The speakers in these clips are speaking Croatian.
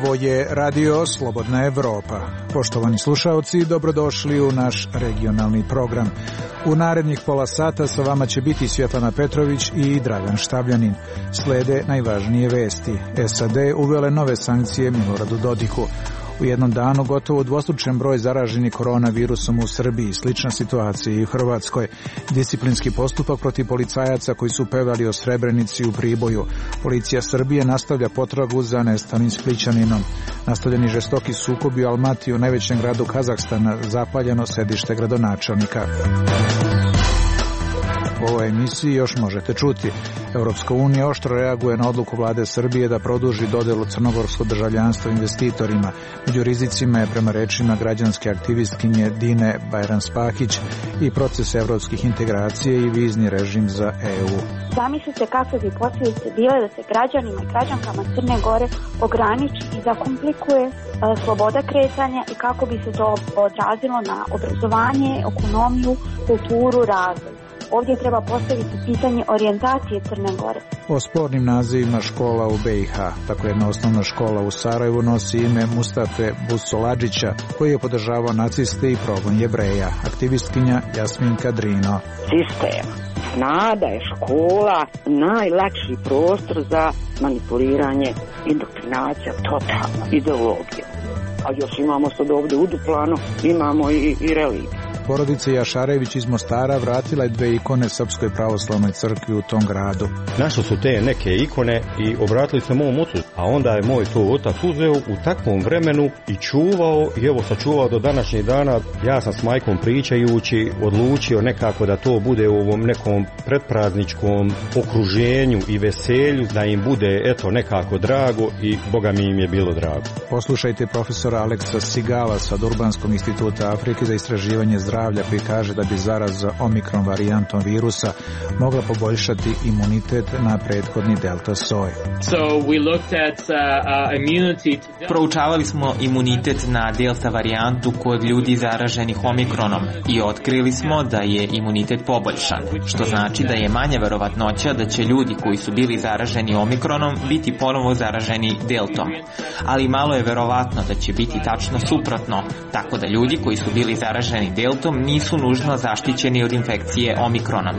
Ovo je Radio Slobodna Evropa. Poštovani slušaoci, dobrodošli u naš regionalni program. U narednih pola sata sa vama će biti Svjetlana Petrović i Dragan Štabljanin. Slede najvažnije vesti. SAD uvele nove sankcije Miloradu Dodiku. U jednom danu gotovo udvostručen broj zaraženih koronavirusom u Srbiji, slična situacija i u Hrvatskoj. Disciplinski postupak protiv policajaca koji su pevali o Srebrenici u Priboju. Policija Srbije nastavlja potragu za nestalim Splićaninom. Nastavljeni žestoki sukobi u Almatiju, najvećem gradu Kazahstana, zapaljeno sedište gradonačelnika. U ovoj emisiji još možete čuti. Europska unija oštro reaguje na odluku vlade Srbije da produži dodelu crnogorskog državljanstva investitorima. Među rizicima je, prema rečima građanske aktivistkinje Dine Bajranspahić, i proces evropskih integracija i vizni režim za EU. Zamislite kakve bi posljedice bile da se građanima i građankama Crne Gore ograniči i zakomplikuje sloboda kretanja i kako bi se to odrazilo na obrazovanje, ekonomiju, kulturu, razvoj. Ovdje treba postaviti pitanje orijentacije Crne Gore. O spornim nazivima škola u BiH. Tako jedna osnovna škola u Sarajevu nosi ime Mustafe Busoladžića, koji je podržavao naciste i progon Jevreja. Aktivistkinja Jasminka Drino. Sistem zna da je škola najlakši prostor za manipuliranje, indoktrinacija, totalna ideologija. A još imamo sad ovdje u Duplanu, imamo i religiju. Porodica Jašarević iz Mostara vratila je 2 ikone Srpskoj pravoslavnoj crkvi u tom gradu. Našli su te neke ikone i obratili se mom ocu, a onda je moj to otac uzeo u takvom vremenu i čuvao, i evo sačuvao do današnjih dana. Ja sam s majkom pričajući odlučio nekako da to bude u ovom nekom predprazničkom okruženju i veselju, da im bude eto nekako drago, i Boga mi im je bilo drago. Poslušajte profesora Aleksa Sigala sa Urbanskog instituta Afrike za istraživanje zdravlja, koji kaže da bi zaraza omikron varijantom virusa mogla poboljšati imunitet na prethodni delta soj. Proučavali smo imunitet na delta varijantu kod ljudi zaraženih omikronom i otkrili smo da je imunitet poboljšan, što znači da je manja verovatnoća da će ljudi koji su bili zaraženi omikronom biti ponovo zaraženi deltom. Ali malo je verovatno da će biti tačno suprotno, tako da ljudi koji su bili zaraženi deltom nisu nužno zaštićeni od infekcije omikronom.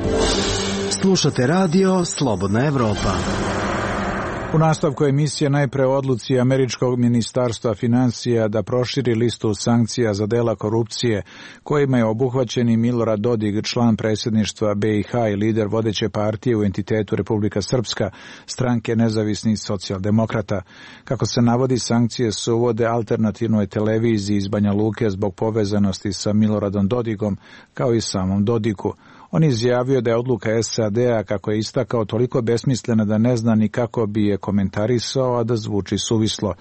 Slušate Radio Slobodna Evropa. U nastavku emisije najpre odluci američkog ministarstva financija da proširi listu sankcija za dela korupcije kojima je obuhvaćen i Milorad Dodik, član predsjedništva BiH i lider vodeće partije u entitetu Republika Srpska, stranke nezavisnih socijaldemokrata. Kako se navodi, sankcije se uvode alternativnoj televiziji iz Banja Luke zbog povezanosti sa Miloradom Dodikom, kao i samom Dodiku. On je izjavio da je odluka SAD-a, kako je istakao, toliko besmislena da ne zna ni kako bi je komentarisao, a da zvuči suvislo.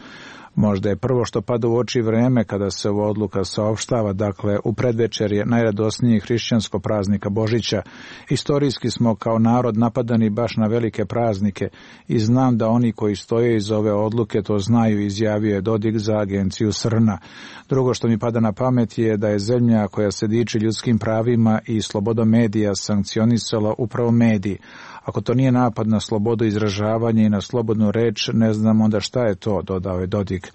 Možda je prvo što pada u oči vreme kada se ova odluka saopštava, dakle u predvečerje najradosnijeg hrišćanskog praznika Božića. Istorijski smo kao narod napadani baš na velike praznike i znam da oni koji stoje iz ove odluke to znaju, izjavio je Dodik za agenciju Srna. Drugo što mi pada na pamet je da je zemlja koja se diči ljudskim pravima i slobodom medija sankcionisala upravo mediji. Ako to nije napad na slobodu izražavanja i na slobodnu reč, ne znam onda šta je to, dodao je Dodik.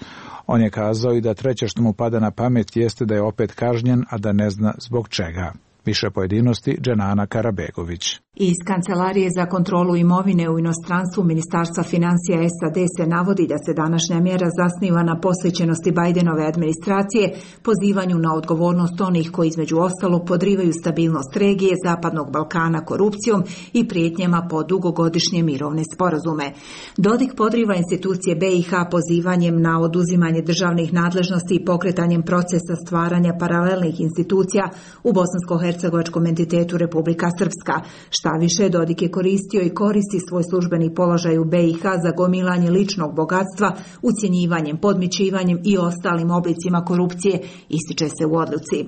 On je kazao i da treće što mu pada na pamet jeste da je opet kažnjen, a da ne zna zbog čega. Više pojedinosti Dženana Karabegović. Iz Kancelarije za kontrolu imovine u inostranstvu Ministarstva financija SAD se navodi da se današnja mjera zasniva na posvećenosti Bajdenove administracije, pozivanju na odgovornost onih koji između ostalog podrivaju stabilnost regije Zapadnog Balkana korupcijom i prijetnjama po dugogodišnje mirovne sporazume. Dodik podriva institucije BiH pozivanjem na oduzimanje državnih nadležnosti i pokretanjem procesa stvaranja paralelnih institucija u bosansko-hercegovačkom entitetu Republika Srpska. Šta više, Dodik je koristio i koristi svoj službeni položaj u BiH za gomilanje ličnog bogatstva, ucjenjivanjem, podmićivanjem i ostalim oblicima korupcije, ističe se u odluci.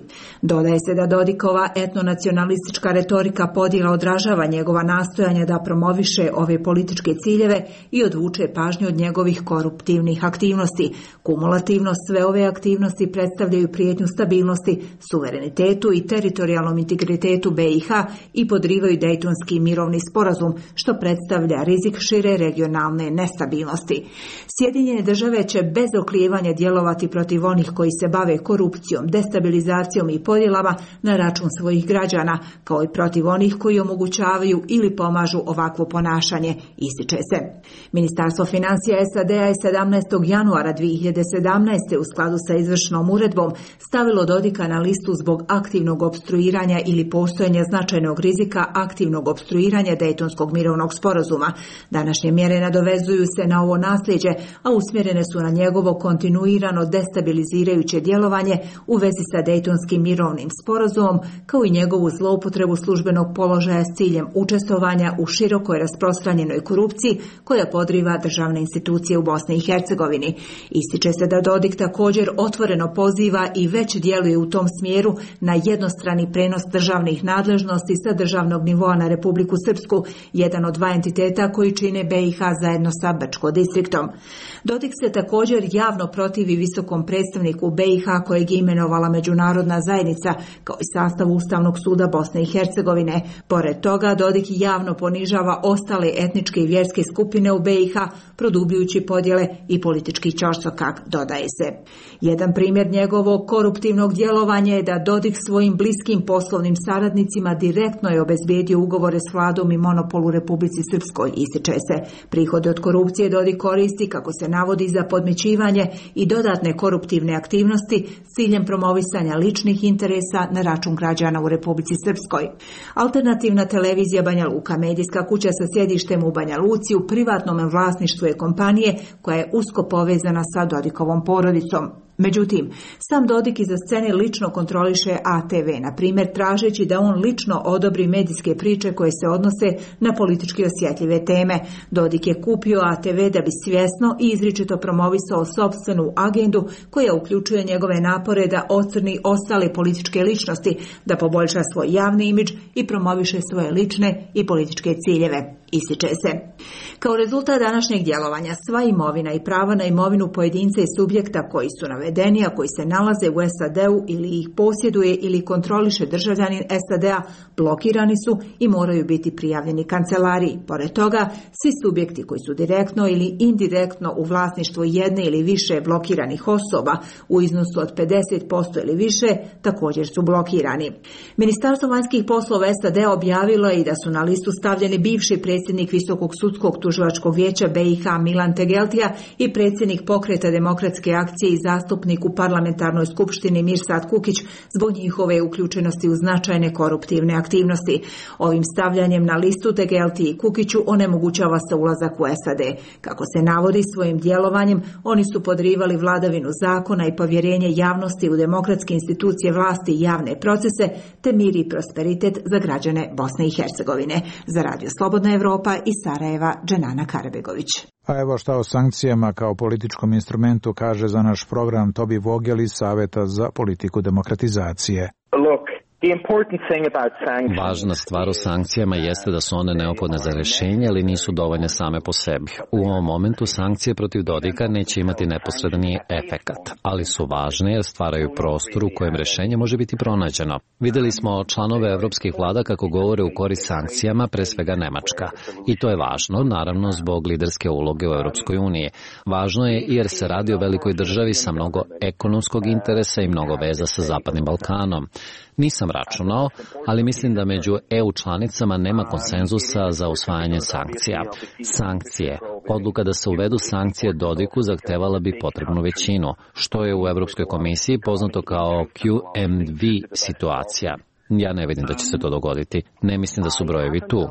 Dodaje se da Dodikova etnonacionalistička retorika podjela odražava njegova nastojanja da promoviše ove političke ciljeve i odvuče pažnju od njegovih koruptivnih aktivnosti. Kumulativno sve ove aktivnosti predstavljaju prijetnju stabilnosti, suverenitetu i teritorijalnom teritorijalnom integritetu BiH i podrivaju Dejtonski mirovni sporazum, što predstavlja rizik šire regionalne nestabilnosti. Sjedinjene države će bez oklijevanja djelovati protiv onih koji se bave korupcijom, destabilizacijom i podjelama na račun svojih građana, kao i protiv onih koji omogućavaju ili pomažu ovakvo ponašanje, ističe se. Ministarstvo financija SAD-a je 17. januara 2017. u skladu sa izvršnom uredbom stavilo Dodika na listu zbog aktivnog opstruiranja ili postojanja značajnog rizika aktivnog opstruiranja Dejtonskog mirovnog sporazuma. Današnje mjere nadovezuju se na ovo nasljeđe, a usmjerene su na njegovo kontinuirano destabilizirajuće djelovanje u vezi sa Dejtonskim mirovnim sporazumom, kao i njegovu zloupotrebu službenog položaja s ciljem učestvovanja u širokoj rasprostranjenoj korupciji koja podriva državne institucije u Bosni i Hercegovini. Ističe se da Dodik također otvoreno poziva i već djeluje u tom smjeru na jednostrani prenos državnih nadležnosti sa državnog nivoa na Republiku Srpsku, jedan od dva entiteta koji čine BiH zajedno sa Brčko distriktom. Dodik se također javno protivi visokom predstavniku BiH kojeg je imenovala međunarodna zajednica, kao i sastav Ustavnog suda Bosne i Hercegovine. Pored toga, Dodik javno ponižava ostale etničke i vjerske skupine u BiH, produbljujući podjele i politički ćorsokak, dodaje se. Jedan primjer njegovog koruptivnog djelovanja je da Dodik svojim bliskim poslovnim saradnicima direktno je obezbijedio ugovore s vladom i monopol u Republici Srpskoj, ističe se. Prihode od korupcije Dodik koristi, kako se navodi, za podmićivanje i dodatne koruptivne aktivnosti s ciljem promovisanja ličnih interesa na račun građana u Republici Srpskoj. Alternativna televizija Banja Luka, medijska kuća sa sjedištem u Banja Luci, u privatnom vlasništvu je kompanije koja je usko povezana sa Dodikovom porodicom. Međutim, sam Dodik iza scene lično kontroliše ATV, na primjer tražeći da on lično odobri medijske priče koje se odnose na politički osjetljive teme. Dodik je kupio ATV da bi svjesno i izričito promovisao sopstvenu agendu koja uključuje njegove napore da ocrni ostale političke ličnosti, da poboljša svoj javni imidž i promoviše svoje lične i političke ciljeve, ističe se. Kao rezultat današnjeg djelovanja, sva imovina i prava na imovinu pojedinca i subjekta koji su navedeni, a koji se nalaze u SAD-u ili ih posjeduje ili kontroliše državljanin SAD-a, blokirani su i moraju biti prijavljeni kancelariji. Pored toga, svi subjekti koji su direktno ili indirektno u vlasništvu jedne ili više blokiranih osoba u iznosu od 50% ili više također su blokirani. Ministarstvo vanjskih poslova SAD-a objavilo je i da su na listu stavljeni bivši predsjednik Visokog sudskog tužilačkog vijeća BiH Milan Tegeltija i predsjednik Pokreta demokratske akcije i zastupnik u parlamentarnoj skupštini Mirsad Kukić zbog njihove uključenosti u značajne koruptivne aktivnosti. Ovim stavljanjem na listu Tegeltiji i Kukiću onemogućava se ulazak u SAD. Kako se navodi, svojim djelovanjem oni su podrivali vladavinu zakona i povjerenje javnosti u demokratske institucije vlasti i javne procese, te mir i prosperitet za građane Bosne i Hercegovine. Za Radio Slobodna Evropa iz Sarajeva, Dženana Karabegović. A evo šta o sankcijama kao političkom instrumentu kaže za naš program Tobi Vogel iz Saveta za politiku demokratizacije. Važna stvar o sankcijama jeste da su one neophodne za rješenje, ali nisu dovoljne same po sebi. U ovom momentu sankcije protiv Dodika neće imati neposredni efekat, ali su važne jer stvaraju prostor u kojem rješenje može biti pronađeno. Vidjeli smo članove evropskih vlada kako govore u korist sankcijama, pre svega Nemačka. I to je važno, naravno, zbog liderske uloge u Europskoj uniji. Važno je jer se radi o velikoj državi sa mnogo ekonomskog interesa i mnogo veza sa Zapadnim Balkanom. Nisam računao, ali mislim da među EU članicama nema konsenzusa za usvajanje sankcija. Sankcije. Odluka da se uvedu sankcije Dodiku zahtevala bi potrebnu većinu, što je u Europskoj komisiji poznato kao QMV situacija. Ja ne vidim da će se to dogoditi. Ne mislim da su brojevi tu.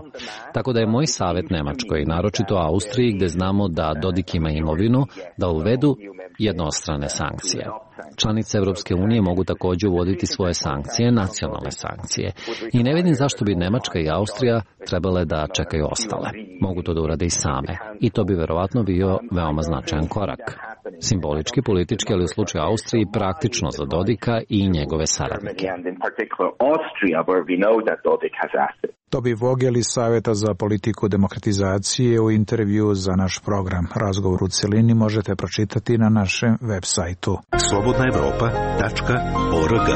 Tako da je moj savjet Nemačkoj, naročito Austriji, gdje znamo da Dodik ima imovinu, da uvedu jednostrane sankcije. Članice Europske unije mogu također uvoditi svoje sankcije, nacionalne sankcije. I ne vidim zašto bi Nemačka i Austrija trebale da čekaju ostale. Mogu to da urade i same. I to bi verovatno bio veoma značajan korak. Simbolički, politički, ali u slučaju Austriji praktično za Dodika i njegove saradnike. Tobi Vogel iz Saveta za politiku demokratizacije u intervju za naš program. Razgovor u celini možete pročitati na našem web sajtu. slobodnaevropa.org.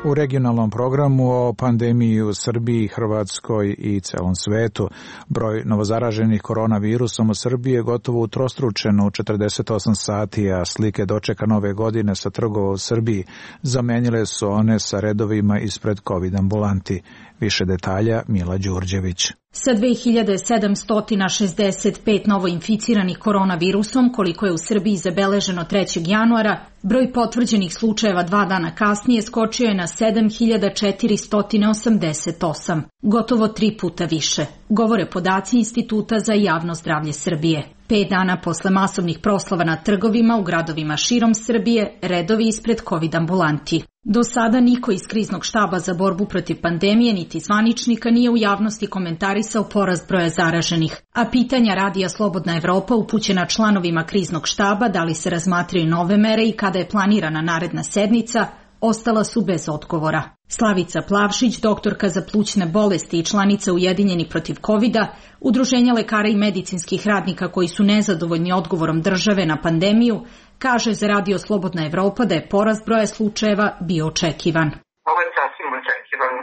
U regionalnom programu o pandemiji u Srbiji, Hrvatskoj i celom svetu. Broj novozaraženih koronavirusom u Srbiji je gotovo utrostručen u 48 sati, a slike dočeka nove godine sa trgova u Srbiji zamenile su one sa redovima ispred COVID ambulanti. Više detalja Mila Đurđević. Sa 2765 novoinficiranih koronavirusom, koliko je u Srbiji zabeleženo 3. januara, broj potvrđenih slučajeva 2 dana kasnije skočio je na 7488, gotovo 3 puta više, govore podaci Instituta za javno zdravlje Srbije. 5 dana posle masovnih proslava na trgovima u gradovima širom Srbije, redovi ispred COVID ambulanti. Do sada niko iz kriznog štaba za borbu protiv pandemije niti zvaničnika nije u javnosti komentarisao porast broja zaraženih, a pitanja Radija Slobodna Evropa upućena članovima kriznog štaba da li se razmatraju nove mere i kada je planirana naredna sednica, ostala su bez odgovora. Slavica Plavšić, doktorka za plućne bolesti i članica Ujedinjeni protiv COVID-a, Udruženja lekara i medicinskih radnika koji su nezadovoljni odgovorom države na pandemiju, kaže za Radio Slobodna Evropa da je porast broja slučajeva bio očekivan. Ovo je sasvim očekivan.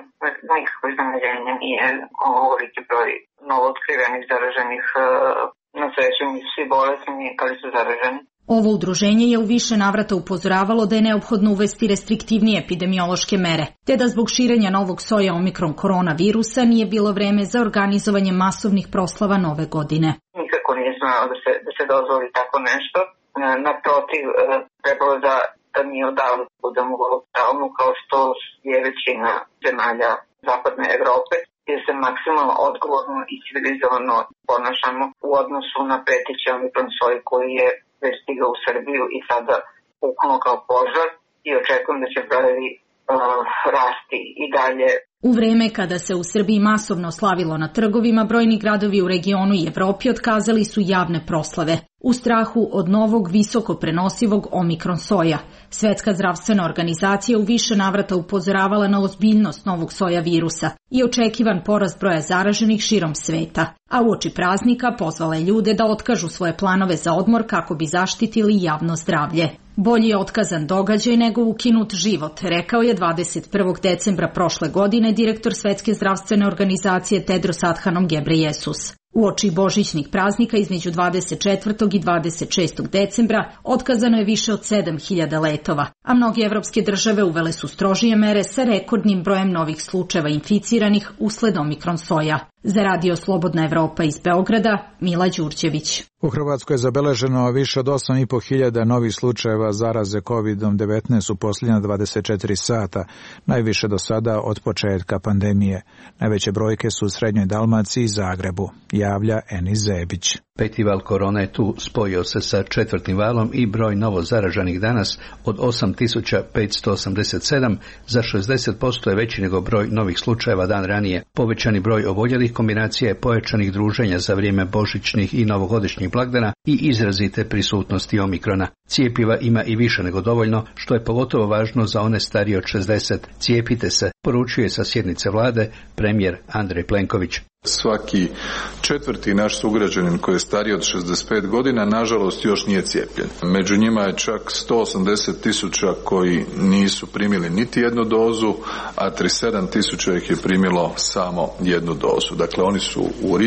Nikako iznenađenje nije ovoliki broj novootkrivenih zaraženih. Na sreću nisu svi bolesni, ali su zaraženi. Ovo udruženje je u više navrata upozoravalo da je neophodno uvesti restriktivnije epidemiološke mere, te da zbog širenja novog soja omikron koronavirusa nije bilo vreme za organizovanje masovnih proslava nove godine. Nikako nije smelo da se dozvoli tako nešto. Naprotiv, trebalo da mi odavno budemo u lockdownu kao što je većina zemalja zapadne Evrope, jer se maksimalno odgovorno i civilizovano ponašamo u odnosu na preteći omikron soj koji je već stigao u Srbiju i sada puknuo kao požar i očekujem da će brojevi rasti i dalje. U vreme kada se u Srbiji masovno slavilo na trgovima, brojni gradovi u regionu i Evropi otkazali su javne proslave u strahu od novog visoko prenosivog omikron soja. Svetska zdravstvena organizacija u više navrata upozoravala na ozbiljnost novog soja virusa i očekivan porast broja zaraženih širom sveta, a uoči praznika pozvala je ljude da otkažu svoje planove za odmor kako bi zaštitili javno zdravlje. Bolji je otkazan događaj nego ukinut život, rekao je 21. decembra prošle godine direktor Svetske zdravstvene organizacije Tedros Adhanom Ghebreyesus. Uoči božićnih praznika između 24. i 26. decembra otkazano je više od 7000 letova, a mnoge evropske države uvele su strožije mere sa rekordnim brojem novih slučajeva inficiranih usled omikron soja. Za Radio Slobodna Evropa iz Beograda, Mila Đurđević. U Hrvatskoj je zabeleženo više od 8.500 novih slučajeva zaraze COVID-19 u posljednja 24 sata, najviše do sada od početka pandemije. Najveće brojke su u Srednjoj Dalmaciji i Zagrebu, javlja Enis Zebić. 5. val korone je tu, spojio se sa 4. valom i broj novo zaraženih danas od 8.587 za 60% je veći nego broj novih slučajeva dan ranije. Povećani broj oboljelih kombinacija je pojačanih druženja za vrijeme božićnih i novogodišnjih blagdana i izrazite prisutnosti omikrona. Cijepiva ima i više nego dovoljno, što je pogotovo važno za one starije od 60. Cijepite se, poručuje sa sjednice vlade premijer Andrej Plenković. Svaki 4. naš sugrađanin koji je stariji od 65 godina, nažalost, još nije cijepljen. Među njima je čak 180.000 koji nisu primili niti jednu dozu, a 37.000 ih je primilo samo jednu dozu. Dakle, oni su u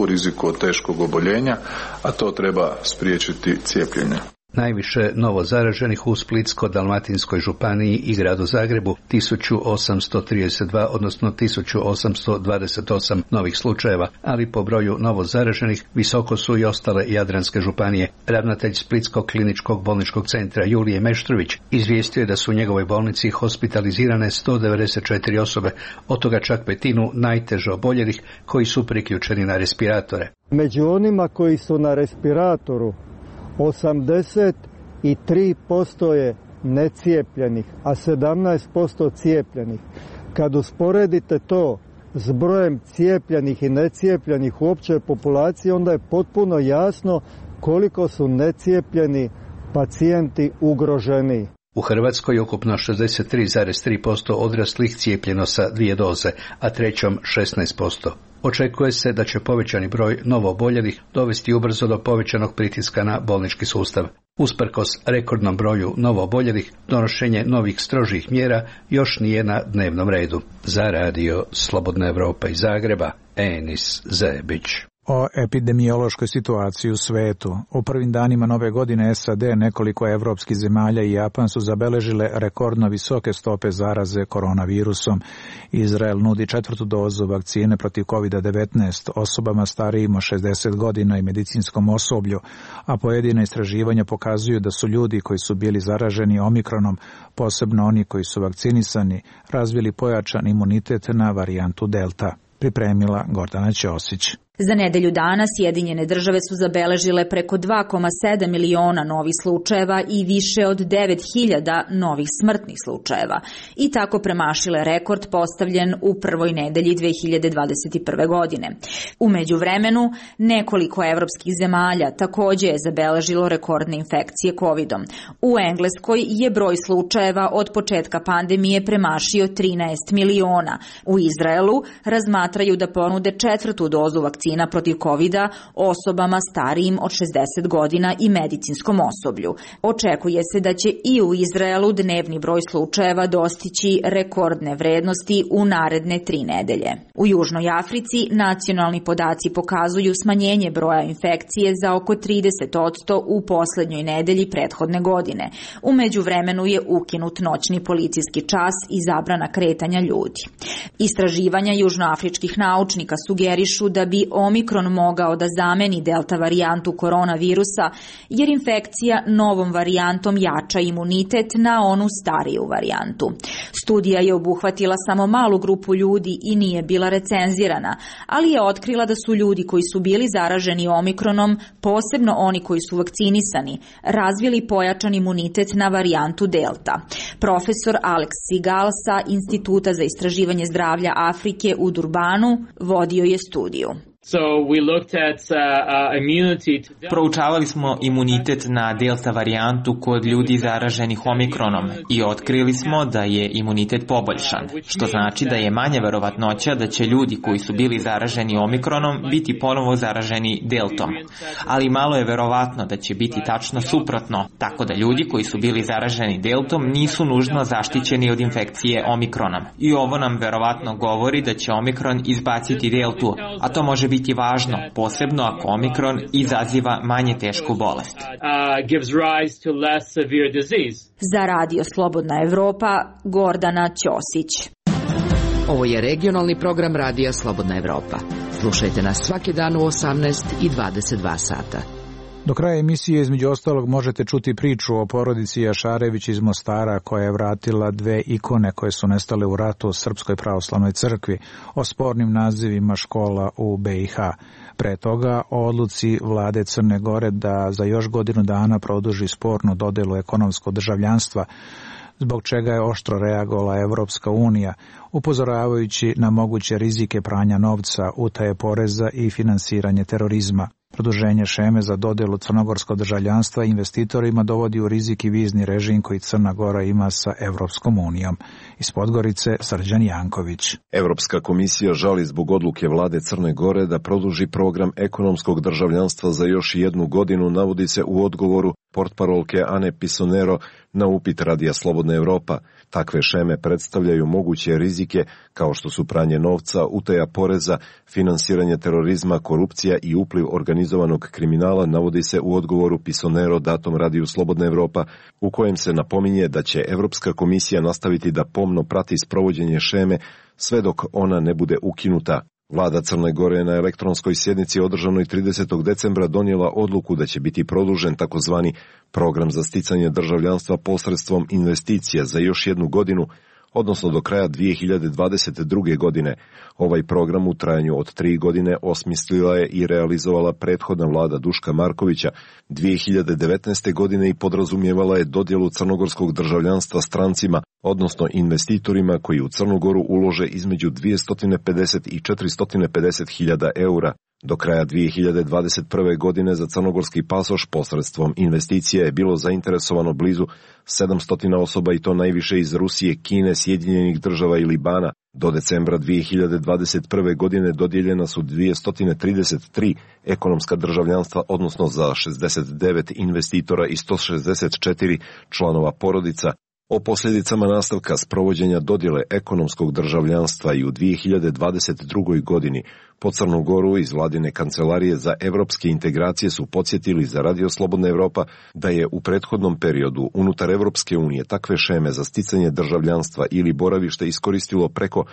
riziku od teškog oboljenja, a to treba spriječiti cijepljenje. Najviše novo zaraženih u Splitsko-dalmatinskoj županiji i gradu Zagrebu 1832, odnosno 1828 novih slučajeva, ali po broju novo zaraženih visoko su i ostale jadranske županije. Ravnatelj Splitskog kliničkog bolničkog centra Julije Meštrović izvijestio je da su u njegovoj bolnici hospitalizirane 194 osobe, od toga čak 1/5 najteže oboljelih koji su priključeni na respiratore. Među onima koji su na respiratoru 83% je necijepljenih, a 17% cijepljenih. Kad usporedite to s brojem cijepljenih i necijepljenih u općoj populaciji, onda je potpuno jasno koliko su necijepljeni pacijenti ugroženi. U Hrvatskoj ukupno 63,3% odraslih cijepljeno sa 2 doze, a trećom 16%. Očekuje se da će povećani broj novooboljelih dovesti ubrzo do povećanog pritiska na bolnički sustav. Usprkos rekordnom broju novooboljelih, donošenje novih strožih mjera još nije na dnevnom redu. Za radio Slobodna Evropa iz Zagreba, Enis Zebić. O epidemiološkoj situaciji u svetu. U prvim danima nove godine SAD, nekoliko evropskih zemalja i Japan su zabeležile rekordno visoke stope zaraze koronavirusom. Izrael nudi 4. dozu vakcine protiv COVID-19 osobama starijim od 60 godina i medicinskom osoblju, a pojedina istraživanja pokazuju da su ljudi koji su bili zaraženi omikronom, posebno oni koji su vakcinisani, razvili pojačan imunitet na varijantu Delta. Pripremila Gordana Ćosić. Za nedelju dana Sjedinjene države su zabeležile preko 2,7 miliona novih slučajeva i više od 9.000 novih smrtnih slučajeva i tako premašile rekord postavljen u prvoj nedelji 2021. godine. U međuvremenu, nekoliko evropskih zemalja također je zabeležilo rekordne infekcije COVID-om. U Engleskoj je broj slučajeva od početka pandemije premašio 13 miliona. U Izraelu razmatraju da ponude 4. dozu vakcina protiv COVID-a osobama starijim od 60 godina i medicinskom osoblju. Očekuje se da će i u Izraelu dnevni broj slučajeva dostići rekordne vrednosti u naredne 3 nedelje. U Južnoj Africi nacionalni podaci pokazuju smanjenje broja infekcije za oko 30% u posljednjoj nedelji prethodne godine. U međuvremenu je ukinut noćni policijski čas i zabrana kretanja ljudi. Istraživanja južnoafričkih naučnika sugerišu da bi Omikron mogao da zameni delta varijantu koronavirusa, jer infekcija novom varijantom jača imunitet na onu stariju varijantu. Studija je obuhvatila samo malu grupu ljudi i nije bila recenzirana, ali je otkrila da su ljudi koji su bili zaraženi Omikronom, posebno oni koji su vakcinisani, razvili pojačan imunitet na varijantu delta. Profesor Alex Sigal sa Instituta za istraživanje zdravlja Afrike u Durbanu vodio je studiju. Proučavali smo imunitet na delta varijantu kod ljudi zaraženih omikronom i otkrili smo da je imunitet poboljšan, što znači da je manja verovatnoća da će ljudi koji su bili zaraženi omikronom biti ponovo zaraženi deltom. Ali malo je verovatno da će biti tačno suprotno, tako da ljudi koji su bili zaraženi deltom nisu nužno zaštićeni od infekcije omikronom. I ovo nam verovatno govori da će omikron izbaciti deltu, a to može biti važno, posebno ako omikron izaziva manje tešku bolest. Za radio Slobodna Evropa, Gordana Ćosić. Ovo je regionalni program radija Slobodna Evropa. Slušajte nas svaki dan u 18 i 22 sata. Do kraja emisije između ostalog možete čuti priču o porodici Jašarević iz Mostara koja je vratila 2 ikone koje su nestale u ratu u Srpskoj pravoslavnoj crkvi, o spornim nazivima škola u BiH. Pre toga o odluci vlade Crne Gore da za još godinu dana produži spornu dodelu ekonomskog državljanstva, zbog čega je oštro reagovala Evropska unija, upozoravajući na moguće rizike pranja novca, utaje poreza i finansiranje terorizma. Produženje šeme za dodelu crnogorskog državljanstva investitorima dovodi u rizik i vizni režim koji Crna Gora ima sa Evropskom unijom. Iz Podgorice Srđan Janković. Evropska komisija žali zbog odluke vlade Crne Gore da produži program ekonomskog državljanstva za još 1 godinu, navodi se u odgovoru portparolke Ane Pisonero na upit Radija Slobodna Evropa. Takve šeme predstavljaju moguće rizike kao što su pranje novca, utaja poreza, finansiranje terorizma, korupcija i upliv organizovanog kriminala, navodi se u odgovoru Pisonero datom Radiju Slobodna Evropa, u kojem se napominje da će Evropska komisija nastaviti da pomno prati sprovođenje šeme sve dok ona ne bude ukinuta. Vlada Crne Gore je na elektronskoj sjednici održanoj 30. decembra donijela odluku da će biti produžen takozvani program za sticanje državljanstva posredstvom investicija za još 1 godinu, odnosno do kraja 2022. godine. Ovaj program u trajanju od 3 godine osmislila je i realizovala prethodna vlada Duška Markovića 2019. godine i podrazumijevala je dodjelu crnogorskog državljanstva strancima, odnosno investitorima koji u Crnu Goru ulože između 250 i 450 hiljada eura. Do kraja 2021. godine za crnogorski pasoš posredstvom investicija je bilo zainteresovano blizu 700 osoba i to najviše iz Rusije, Kine, Sjedinjenih Država i Libana. Do decembra 2021. godine dodijeljena su 233 ekonomska državljanstva, odnosno za 69 investitora i 164 članova porodica. O posljedicama nastavka sprovođenja dodjele ekonomskog državljanstva i u 2022. godini po Crnu Goru iz vladine kancelarije za evropske integracije su podsjetili za Radio Slobodna Evropa da je u prethodnom periodu unutar Evropske unije takve šeme za sticanje državljanstva ili boravište iskoristilo preko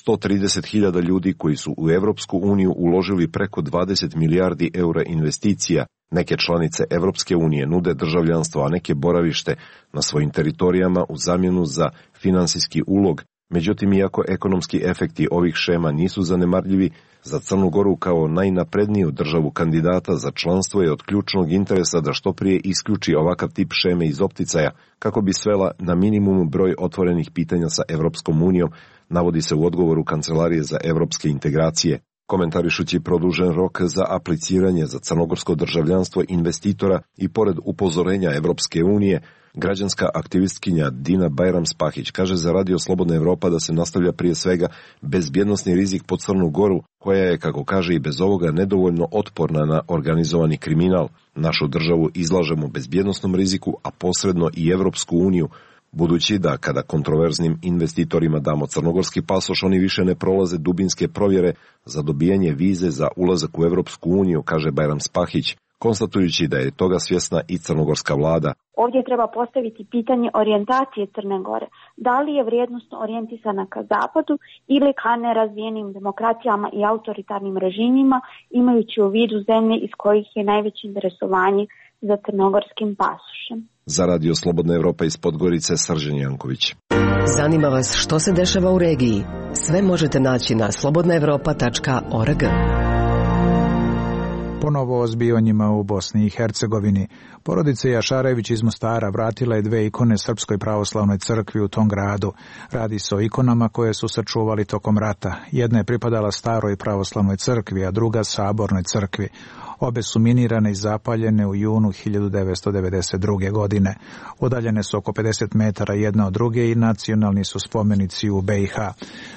130.000 ljudi koji su u Evropsku uniju uložili preko 20 milijardi eura investicija. Neke članice Evropske unije nude državljanstvo, a neke boravište na svojim teritorijama u zamjenu za finansijski ulog. Međutim, iako ekonomski efekti ovih šema nisu zanemarljivi, za Crnu Goru kao najnapredniju državu kandidata za članstvo je od ključnog interesa da što prije isključi ovakav tip šeme iz opticaja kako bi svela na minimum broj otvorenih pitanja sa Evropskom unijom, navodi se u odgovoru Kancelarije za evropske integracije. Komentarišući produžen rok za apliciranje za crnogorsko državljanstvo investitora i pored upozorenja Evropske unije, građanska aktivistkinja Dina Bajram-Spahić kaže za Radio Slobodna Evropa da se nastavlja prije svega bezbjednosni rizik po Crnu Goru, koja je, kako kaže, i bez ovoga nedovoljno otporna na organizovani kriminal. Našu državu izlažemo bezbjednosnom riziku, a posredno i Evropsku uniju, budući da kada kontroverznim investitorima damo crnogorski pasoš, oni više ne prolaze dubinske provjere za dobijanje vize za ulazak u Evropsku uniju, kaže Bajram-Spahić, konstatujući da je toga svjesna i crnogorska vlada. Ovdje treba postaviti pitanje orijentacije Crne Gore. Da li je vrijednosno orijentisana ka zapadu ili ka nerazvijenim demokracijama i autoritarnim režimima, imajući u vidu zemlje iz kojih je najveće interesovanje za crnogorskim pasošem. Za Radio Slobodna Evropa iz Podgorice, Srđan Janković. Zanima vas što se dešava u regiji? Sve možete naći na slobodnaevropa.org. Ponovo o zbivanjima u Bosni i Hercegovini. Porodica Jašarević iz Mostara vratila je 2 ikone Srpskoj pravoslavnoj crkvi u tom gradu. Radi se o ikonama koje su sačuvali tokom rata. Jedna je pripadala Staroj pravoslavnoj crkvi, a druga Sabornoj crkvi. Obe su minirane i zapaljene u junu 1992. godine. Udaljene su oko 50 metara jedna od druge i nacionalni su spomenici u BiH.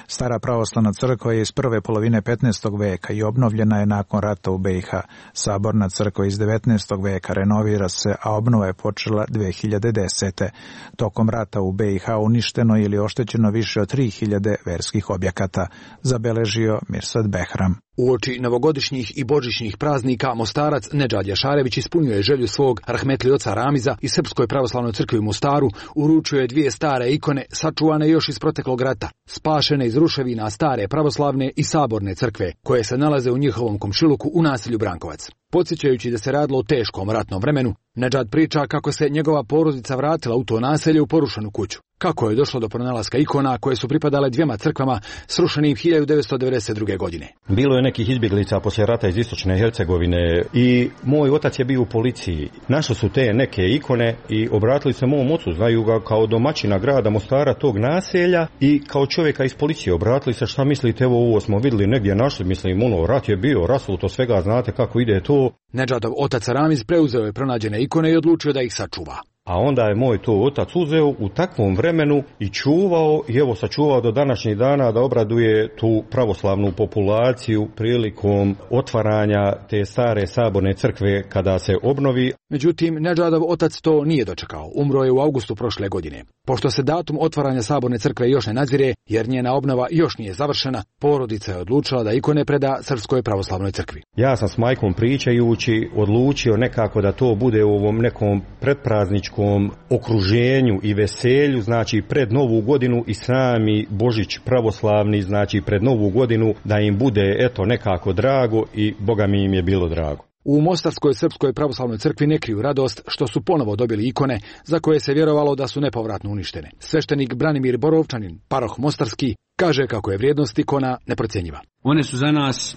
Stara pravoslavna crkva je iz prve polovine 15. veka i obnovljena je nakon rata u BiH. Saborna crkva iz 19. veka renovira se, a obnova je počela 2010. Tokom rata u BiH uništeno ili oštećeno više od 3000 verskih objekata, zabeležio Mirsad Behram. Uoči novogodišnjih i božićnih praznika Mostarac Nedžad Jašarević ispunio je želju svog rahmetli oca Ramiza i Srpskoj pravoslavnoj crkvi u Mostaru, uručio je 2 stare ikone sačuvane još iz proteklog rata, spašene iz ruševina stare pravoslavne i saborne crkve, koje se nalaze u njihovom komšiluku u naselju Brankovac. Podsjećajući da se radilo o teškom ratnom vremenu, Nedžad priča kako se njegova porodica vratila u to naselje u porušenu kuću. Kako je došlo do pronalaska ikona koje su pripadale 2 crkvama srušenim 1992. godine. Bilo je nekih izbjeglica poslije rata iz istočne Hercegovine i moj otac je bio u policiji. Našli su te neke ikone i obratili se mom ocu, znaju ga kao domaćina grada Mostara, tog naselja, i kao čovjeka iz policije obratili se, šta mislite, evo ovo smo vidjeli negdje našli, mislim, rat je bio, rasuto svega, znate kako ide to. Nedžadov otac Ramiz preuzeo je pronađene ikone i odlučio da ih sačuva. A onda je moj to otac uzeo u takvom vremenu i čuvao, i evo sačuvao do današnjih dana da obraduje tu pravoslavnu populaciju prilikom otvaranja te stare saborne crkve kada se obnovi. Međutim, Nedžadov otac to nije dočekao. Umro je u avgustu prošle godine. Pošto se datum otvaranja saborne crkve još ne nadzire, jer njena obnova još nije završena, porodica je odlučila da ikone preda Srpskoj pravoslavnoj crkvi. Ja sam s majkom pričajući odlučio nekako da to bude u ovom nekom predprazničkom okruženju i veselju, znači pred Novu godinu i sami Božić pravoslavni, znači pred Novu godinu, da im bude eto nekako drago, i Boga mi im je bilo drago. U Mostarskoj Srpskoj pravoslavnoj crkvi ne kriju radost što su ponovo dobili ikone za koje se vjerovalo da su nepovratno uništene. Sveštenik Branimir Borovčanin, paroh Mostarski, kaže kako je vrijednost ikona neprocjenjiva. One su za nas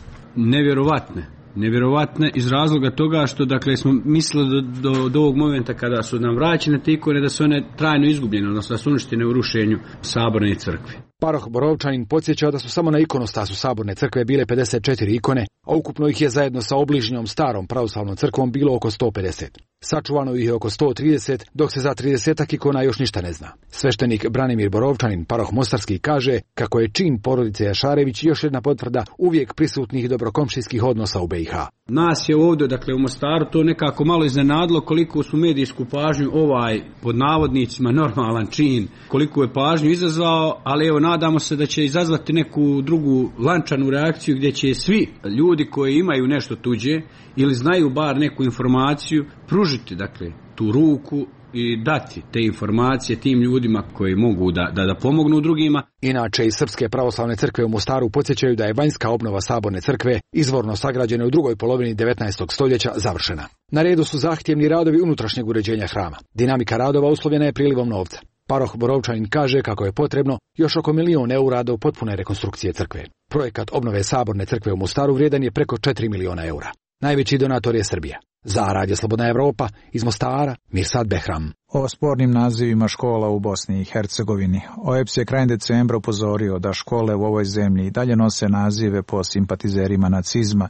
nevjerovatne iz razloga toga što, dakle, smo mislili do ovog momenta kada su nam vraćene te ikone da su one trajno izgubljene, odnosno da su uništene u rušenju saborne crkve. Paroh Borovčanin podsjeća da su samo na ikonostasu saborne crkve bile 54 ikone, a ukupno ih je zajedno sa obližnjom starom pravoslavnom crkvom bilo oko 150. Sačuvano ih je oko 130, dok se za 30 ikona još ništa ne zna. Sveštenik Branimir Borovčanin, paroh Mostarski, kaže kako je čin porodice Jašarević još jedna potvrda uvijek prisutnih dobrokomšijskih odnosa u BiH. Nas je ovdje, dakle u Mostaru, to nekako malo iznenadilo koliko su medijsku pažnju pod navodnicima normalan čin, koliko je pažnju izazvao, ali evo nadamo se da će izazvati neku drugu lančanu reakciju gdje će svi ljudi koji imaju nešto tuđe ili znaju bar neku informaciju pružiti, dakle, tu ruku i dati te informacije tim ljudima koji mogu da pomognu drugima. Inače, iz Srpske pravoslavne crkve u Mostaru podsjećaju da je vanjska obnova saborne crkve, izvorno sagrađena u drugoj polovini 19. stoljeća, završena. Na redu su zahtjevni radovi unutrašnjeg uređenja hrama. Dinamika radova uslovljena je prilivom novca. Paroh Borovčanin kaže kako je potrebno još oko 1 milion eura do potpune rekonstrukcije crkve. Projekat obnove saborne crkve u Mostaru vrijedan je preko 4 miliona eura. Najveći donator je Srbija. Za Radio Slobodna Evropa, iz Mostara, Mirsad Behram. O spornim nazivima škola u Bosni i Hercegovini. OEBS je krajem decembra upozorio da škole u ovoj zemlji i dalje nose nazive po simpatizerima nacizma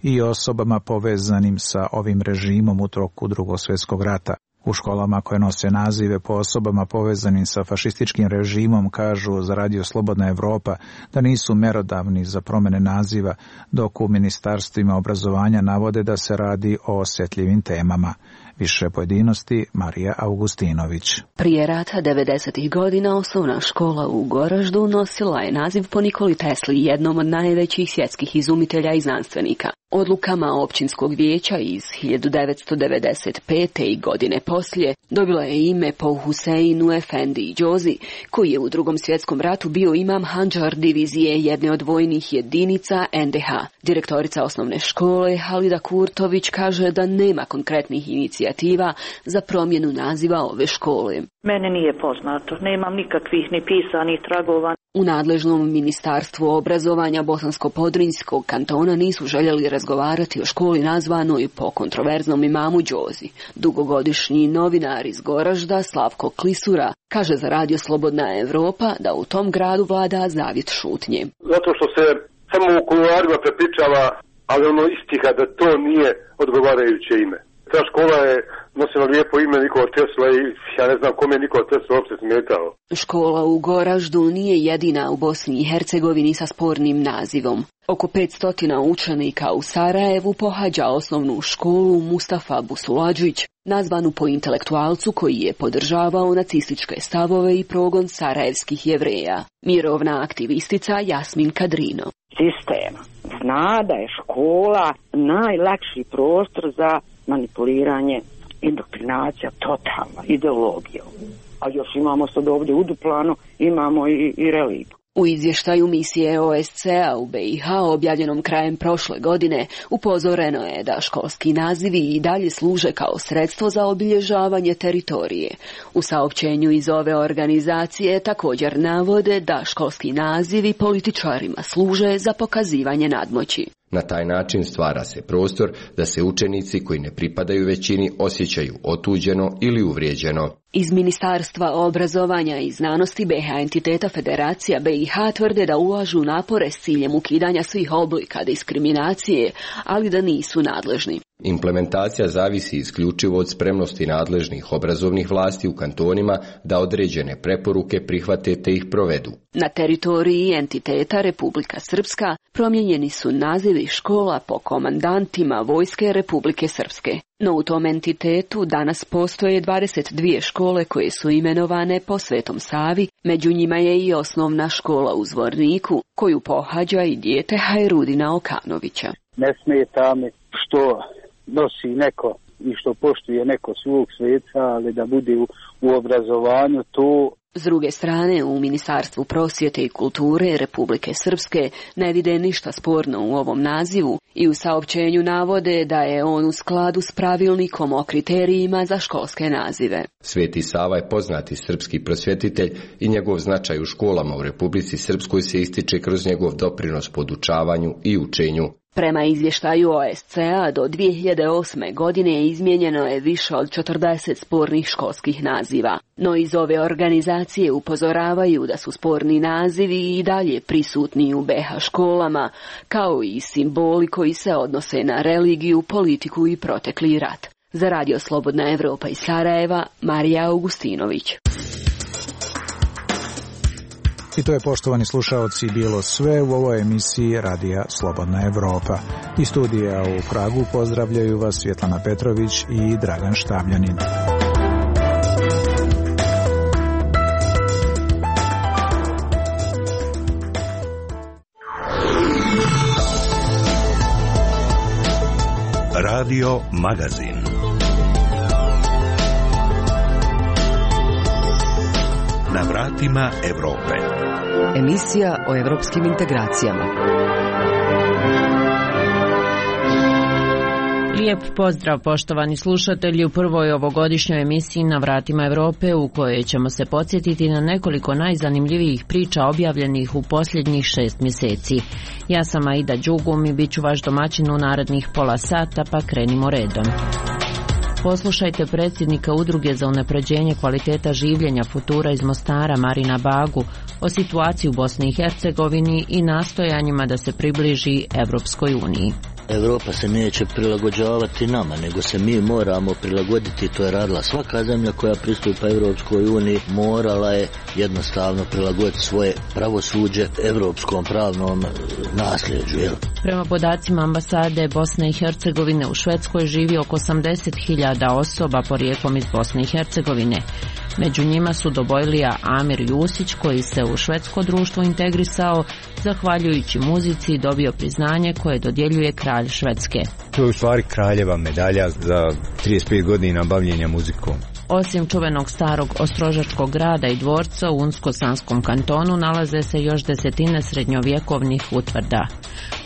i osobama povezanim sa ovim režimom u toku Drugog svjetskog rata. U školama koje nose nazive po osobama povezanim sa fašističkim režimom kažu za Radio Slobodna Evropa da nisu merodavni za promjene naziva, dok u ministarstvima obrazovanja navode da se radi o osjetljivim temama. Više pojedinosti, Marija Augustinović. Prije rata 90. godina osnovna škola u Goraždu nosila je naziv po Nikoli Tesli, jednom od najvećih svjetskih izumitelja i znanstvenika. Odlukama općinskog vijeća iz 1995. i godine poslije dobila je ime po Huseinu Efendi Džozi, koji je u Drugom svjetskom ratu bio imam Handžar divizije jedne od vojnih jedinica NDH. Direktorica osnovne škole Halida Kurtović kaže da nema konkretnih inicijativa za promjenu naziva ove škole. Mene nije poznato, nemam nikakvih ni pisanih tragova. U nadležnom ministarstvu obrazovanja Bosansko-Podrinjskog kantona nisu željeli razgovarati o školi nazvanoj po kontroverznom imamu Džozi. Dugogodišnji novinar iz Goražda Slavko Klisura kaže za Radio Slobodna Evropa da u tom gradu vlada zavjet šutnje. Zato što se samo u kuloarima prepričava, ali ono istiha da to nije odgovarajuće ime. Ta škola je nosila lijepo ime Nikola Tesla i ja ne znam kome je Nikola Tesla uopće smetao. Škola u Goraždu nije jedina u Bosni i Hercegovini sa spornim nazivom. Oko 500 učenika u Sarajevu pohađa osnovnu školu Mustafa Busuladžić, nazvanu po intelektualcu koji je podržavao nacističke stavove i progon sarajevskih Jevreja. Mirovna aktivistica Jasmin Kadrino. Sistem zna da je škola najlakši prostor za manipuliranje, indoktrinacija, totalna ideologija. A još imamo sad ovdje u Duplanu, imamo i religiju. U izvještaju misije OSCE-a u BiH objavljenom krajem prošle godine upozoreno je da školski nazivi i dalje služe kao sredstvo za obilježavanje teritorije. U saopćenju iz ove organizacije također navode da školski nazivi političarima služe za pokazivanje nadmoći. Na taj način stvara se prostor da se učenici koji ne pripadaju većini osjećaju otuđeno ili uvrijeđeno. Iz Ministarstva obrazovanja i znanosti BiH entiteta Federacija BiH tvrde da ulažu napore s ciljem ukidanja svih oblika diskriminacije, ali da nisu nadležni. Implementacija zavisi isključivo od spremnosti nadležnih obrazovnih vlasti u kantonima da određene preporuke prihvate te ih provedu. Na teritoriji entiteta Republika Srpska promijenjeni su nazivi škola po komandantima Vojske Republike Srpske. No u tom entitetu danas postoje 22 škole koje su imenovane po Svetom Savi, među njima je i osnovna škola u Zvorniku, koju pohađa i dijete Hajrudina Okanovića. Ne smeta mi što nosi neko i što poštuje neko svog sveca, ali da bude u obrazovanju to. S druge strane, u Ministarstvu prosvjete i kulture Republike Srpske ne vide ništa sporno u ovom nazivu i u saopćenju navode da je on u skladu s pravilnikom o kriterijima za školske nazive. Sveti Sava je poznati srpski prosvjetitelj i njegov značaj u školama u Republici Srpskoj se ističe kroz njegov doprinos podučavanju i učenju. Prema izvještaju OSCE-a do 2008. godine izmijenjeno je više od 40 spornih školskih naziva. No iz ove organizacije upozoravaju da su sporni nazivi i dalje prisutni u BiH školama, kao i simboli koji se odnose na religiju, politiku i protekli rat. Za Radio Slobodna Evropa iz Sarajeva, Marija Augustinović. I to je, poštovani slušaoci, bilo sve u ovoj emisiji Radija Slobodna Evropa. Iz studija u Pragu pozdravljaju vas Svjetlana Petrović i Dragan Štabljanin. Radio Magazin. Na vratima Evrope. Emisija o evropskim integracijama. Lijep pozdrav, poštovani slušatelji, u prvoj ovogodišnjoj emisiji Na vratima Evrope, u kojoj ćemo se podsjetiti na nekoliko najzanimljivijih priča objavljenih u posljednjih 6 mjeseci. Ja sam Aida Đugum i bit ću vaš domaćin u narednih pola sata, pa krenimo redom. Poslušajte predsjednika Udruge za unapređenje kvaliteta življenja Futura iz Mostara, Marina Bagu, o situaciji u Bosni i Hercegovini i nastojanjima da se približi Evropskoj uniji. Europa se neće prilagođavati nama, nego se mi moramo prilagoditi. To je radila svaka zemlja koja pristupa Evropskoj uniji, morala je jednostavno prilagoditi svoje pravosuđe evropskom pravnom nasljeđu. Prema podacima ambasade Bosne i Hercegovine u Švedskoj živi oko 80.000 osoba porijeklom iz Bosne i Hercegovine. Među njima su Dobojlija Amir Jusić, koji se u švedsko društvo integrisao zahvaljujući muzici i dobio priznanje koje dodjeljuje kralj Švedske. To je u stvari kraljeva medalja za 35 godina bavljenja muzikom. Osim čuvenog starog ostrožačkog grada i dvorca u Unsko-Sanskom kantonu nalaze se još desetine srednjovjekovnih utvrda.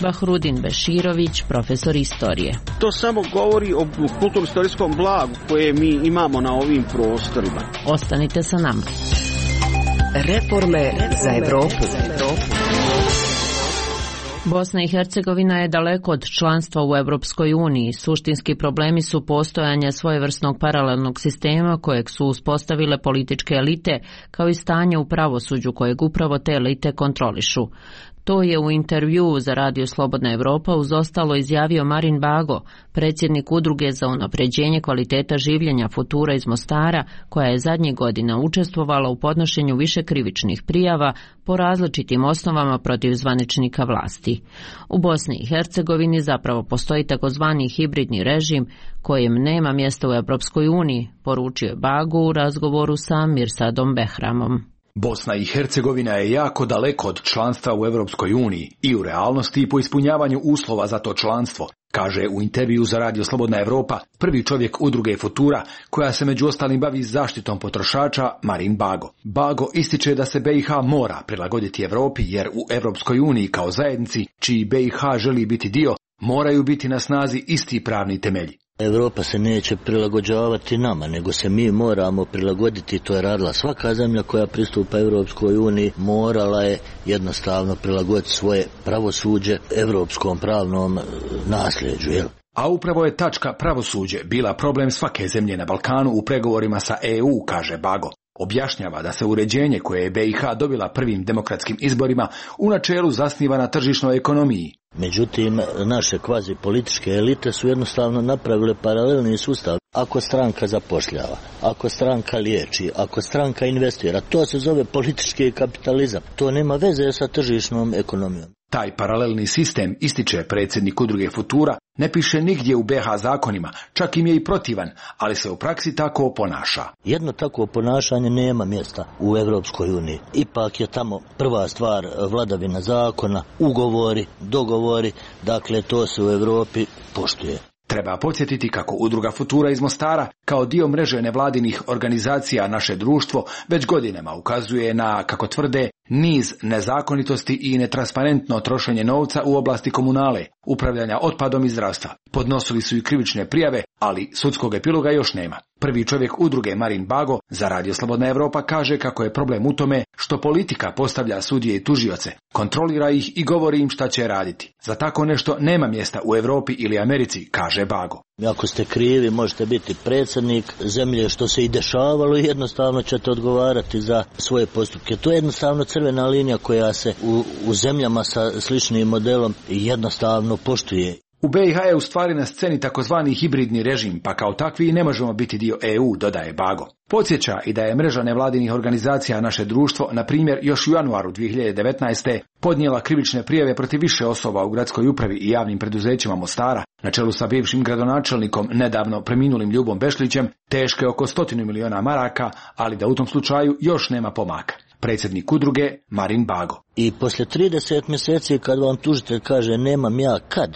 Bahrudin Beširović, profesor istorije. To samo govori o kulturno-istorijskom blagu koje mi imamo na ovim prostorima. Ostanite sa nama. Reforme za Evropu. Bosna i Hercegovina je daleko od članstva u Evropskoj uniji. Suštinski problemi su postojanje svojevrsnog paralelnog sistema kojeg su uspostavile političke elite, kao i stanje u pravosuđu kojeg upravo te elite kontrolišu. To je u intervjuu za Radio Slobodna Evropa uz ostalo izjavio Marin Bago, predsjednik Udruge za unapređenje kvaliteta življenja Futura iz Mostara, koja je zadnjih godina učestvovala u podnošenju više krivičnih prijava po različitim osnovama protiv zvaničnika vlasti. U Bosni i Hercegovini zapravo postoji takozvani hibridni režim kojem nema mjesta u Evropskoj uniji, poručio je Bago u razgovoru sa Mirsadom Behramom. Bosna i Hercegovina je jako daleko od članstva u Evropskoj uniji i u realnosti i po ispunjavanju uslova za to članstvo, kaže u intervju za Radio Slobodna Evropa prvi čovjek Udruge Futura, koja se među ostalim bavi zaštitom potrošača, Marin Bago. Bago ističe da se BiH mora prilagoditi Evropi jer u Evropskoj uniji kao zajednici, čiji BiH želi biti dio, moraju biti na snazi isti pravni temelji. Europa se neće prilagođavati nama, nego se mi moramo prilagoditi. To je radila svaka zemlja koja pristupa Evropskoj uniji, morala je jednostavno prilagoditi svoje pravosuđe evropskom pravnom nasljeđu. A upravo je tačka pravosuđe bila problem svake zemlje na Balkanu u pregovorima sa EU, kaže Bago. Objašnjava da se uređenje koje je BiH dobila prvim demokratskim izborima u načelu zasniva na tržišnoj ekonomiji. Međutim, naše kvazi političke elite su jednostavno napravile paralelni sustav. Ako stranka zapošljava, ako stranka liječi, ako stranka investira, to se zove politički kapitalizam. To nema veze sa tržišnom ekonomijom. Taj paralelni sistem, ističe predsjednik Udruge Futura, ne piše nigdje u BiH zakonima, čak im je i protivan, ali se u praksi tako ponaša. Jedno takvo ponašanje nema mjesta u Evropskoj uniji. Ipak je tamo prva stvar vladavina zakona, ugovori, dogovori, dakle to se u Europi poštuje. Treba podsjetiti kako Udruga Futura iz Mostara, kao dio mreže nevladinih organizacija Naše društvo, već godinama ukazuje na, kako tvrde, niz nezakonitosti i netransparentno trošenje novca u oblasti komunale, upravljanja otpadom i zdravstva. Podnosili su i krivične prijave, ali sudskog epiloga još nema. Prvi čovjek udruge Marin Bago za Radio Slobodna Evropa kaže kako je problem u tome što politika postavlja sudije i tužioce, kontrolira ih i govori im šta će raditi. Za tako nešto nema mjesta u Europi ili Americi, kaže Bago. Ako ste krivi, možete biti predsjednik zemlje, što se i dešavalo, i jednostavno ćete odgovarati za svoje postupke. To je jednostavno crvena linija koja se u zemljama sa sličnim modelom jednostavno poštuje. U BiH je u stvari na sceni takozvani hibridni režim, pa kao takvi ne možemo biti dio EU, dodaje Bago. Podsjeća i da je mreža nevladinih organizacija Naše društvo, na primjer, još u januaru 2019. podnijela krivične prijave protiv više osoba u gradskoj upravi i javnim preduzećima Mostara, na čelu sa bivšim gradonačelnikom, nedavno preminulim Ljubom Bešlićem, teške oko 100 miliona maraka, ali da u tom slučaju još nema pomaka. Predsjednik udruge Marin Bago. I poslije 30 mjeseci kad vam tužitelj kaže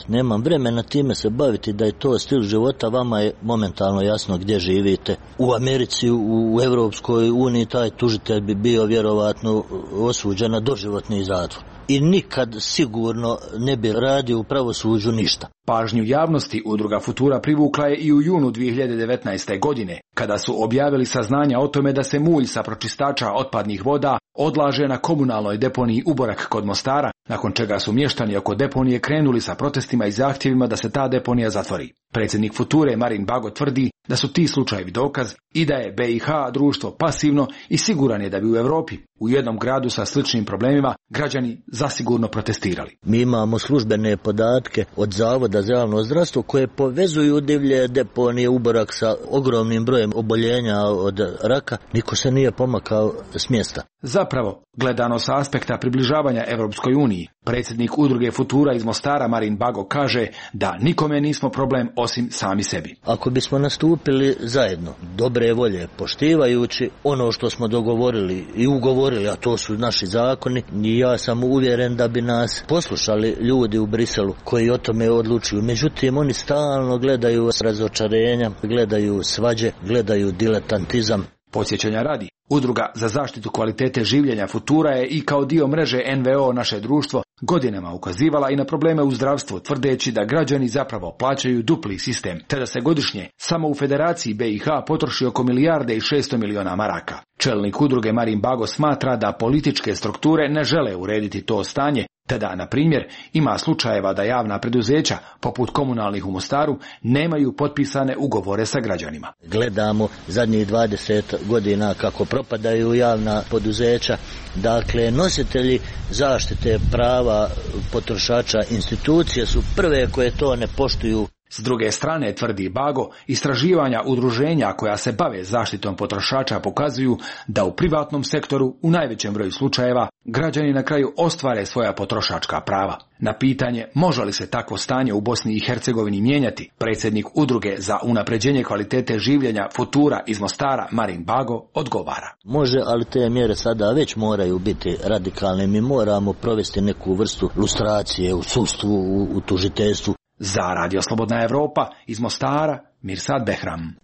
nemam vremena time se baviti, da je to stil života, vama je momentalno jasno gdje živite. U Americi, u Europskoj uniji taj tužitelj bi bio vjerovatno osuđen na doživotni zatvor. I nikad sigurno ne bi radio u pravosuđu ništa. Pažnju javnosti udruga Futura privukla je i u junu 2019. godine, kada su objavili saznanja o tome da se mulj sa pročistača otpadnih voda odlaže na komunalnoj deponiji Uborak kod Mostara, nakon čega su mještani oko deponije krenuli sa protestima i zahtjevima da se ta deponija zatvori. Predsjednik Future Marin Bago tvrdi da su ti slučajevi dokaz i da je BiH društvo pasivno i siguran je da bi u Europi, u jednom gradu sa sličnim problemima, građani zasigurno protestirali. Mi imamo službene podatke od Zavoda za javno zdravstvo koje povezuju divlje deponije Uborak sa ogromnim brojem oboljenja od raka. Niko se nije pomakao s mjesta. Zapravo, gledano sa aspekta približavanja Europskoj uniji, predsjednik udruge Futura iz Mostara Marin Bago kaže da nikome nismo problem osim sami sebi. Ako bismo nastupili zajedno, dobre volje, poštivajući ono što smo dogovorili i ugovorili, a to su naši zakoni, i ja sam uvjeren da bi nas poslušali ljudi u Briselu koji o tome odlučuju. Međutim, oni stalno gledaju razočarenja, gledaju svađe, gledaju diletantizam. Podsjećanja radi, Udruga za zaštitu kvalitete življenja Futura je i kao dio mreže NVO Naše društvo godinama ukazivala i na probleme u zdravstvu, tvrdeći da građani zapravo plaćaju dupli sistem, te da se godišnje samo u Federaciji BiH potroši oko 1,6 milijarde maraka. Čelnik udruge Marin Bago smatra da političke strukture ne žele urediti to stanje, te da, na primjer, ima slučajeva da javna preduzeća, poput komunalnih u Mostaru, nemaju potpisane ugovore sa građanima. Gledamo zadnjih 20 godina kako propadaju javna poduzeća, dakle nositelji zaštite prava potrošača, institucije su prve koje to ne poštuju. S druge strane, tvrdi Bago, istraživanja udruženja koja se bave zaštitom potrošača pokazuju da u privatnom sektoru u najvećem broju slučajeva građani na kraju ostvare svoja potrošačka prava. Na pitanje može li se takvo stanje u Bosni i Hercegovini mijenjati, predsjednik udruge za unapređenje kvalitete življenja Futura iz Mostara Marin Bago odgovara. Može, ali te mjere sada već moraju biti radikalne. Mi moramo provesti neku vrstu lustracije u sudstvu, u tužiteljstvu. Za Radio Slobodna Evropa iz Mostara, Mirsad Behram.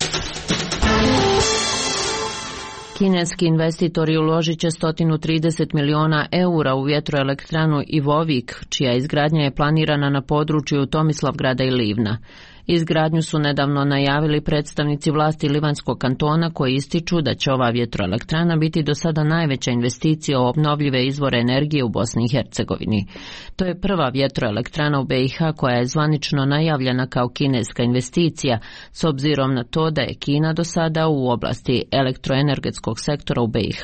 Kineski investitori uložit će 130 miliona eura u vjetroelektranu Ivovik, čija izgradnja je planirana na području Tomislavgrada i Livna. Izgradnju su nedavno najavili predstavnici vlasti Livanskog kantona koji ističu da će ova vjetroelektrana biti do sada najveća investicija u obnovljive izvore energije u Bosni i Hercegovini. To je prva vjetroelektrana u BiH koja je zvanično najavljena kao kineska investicija, s obzirom na to da je Kina do sada u oblasti elektroenergetskog sektora u BiH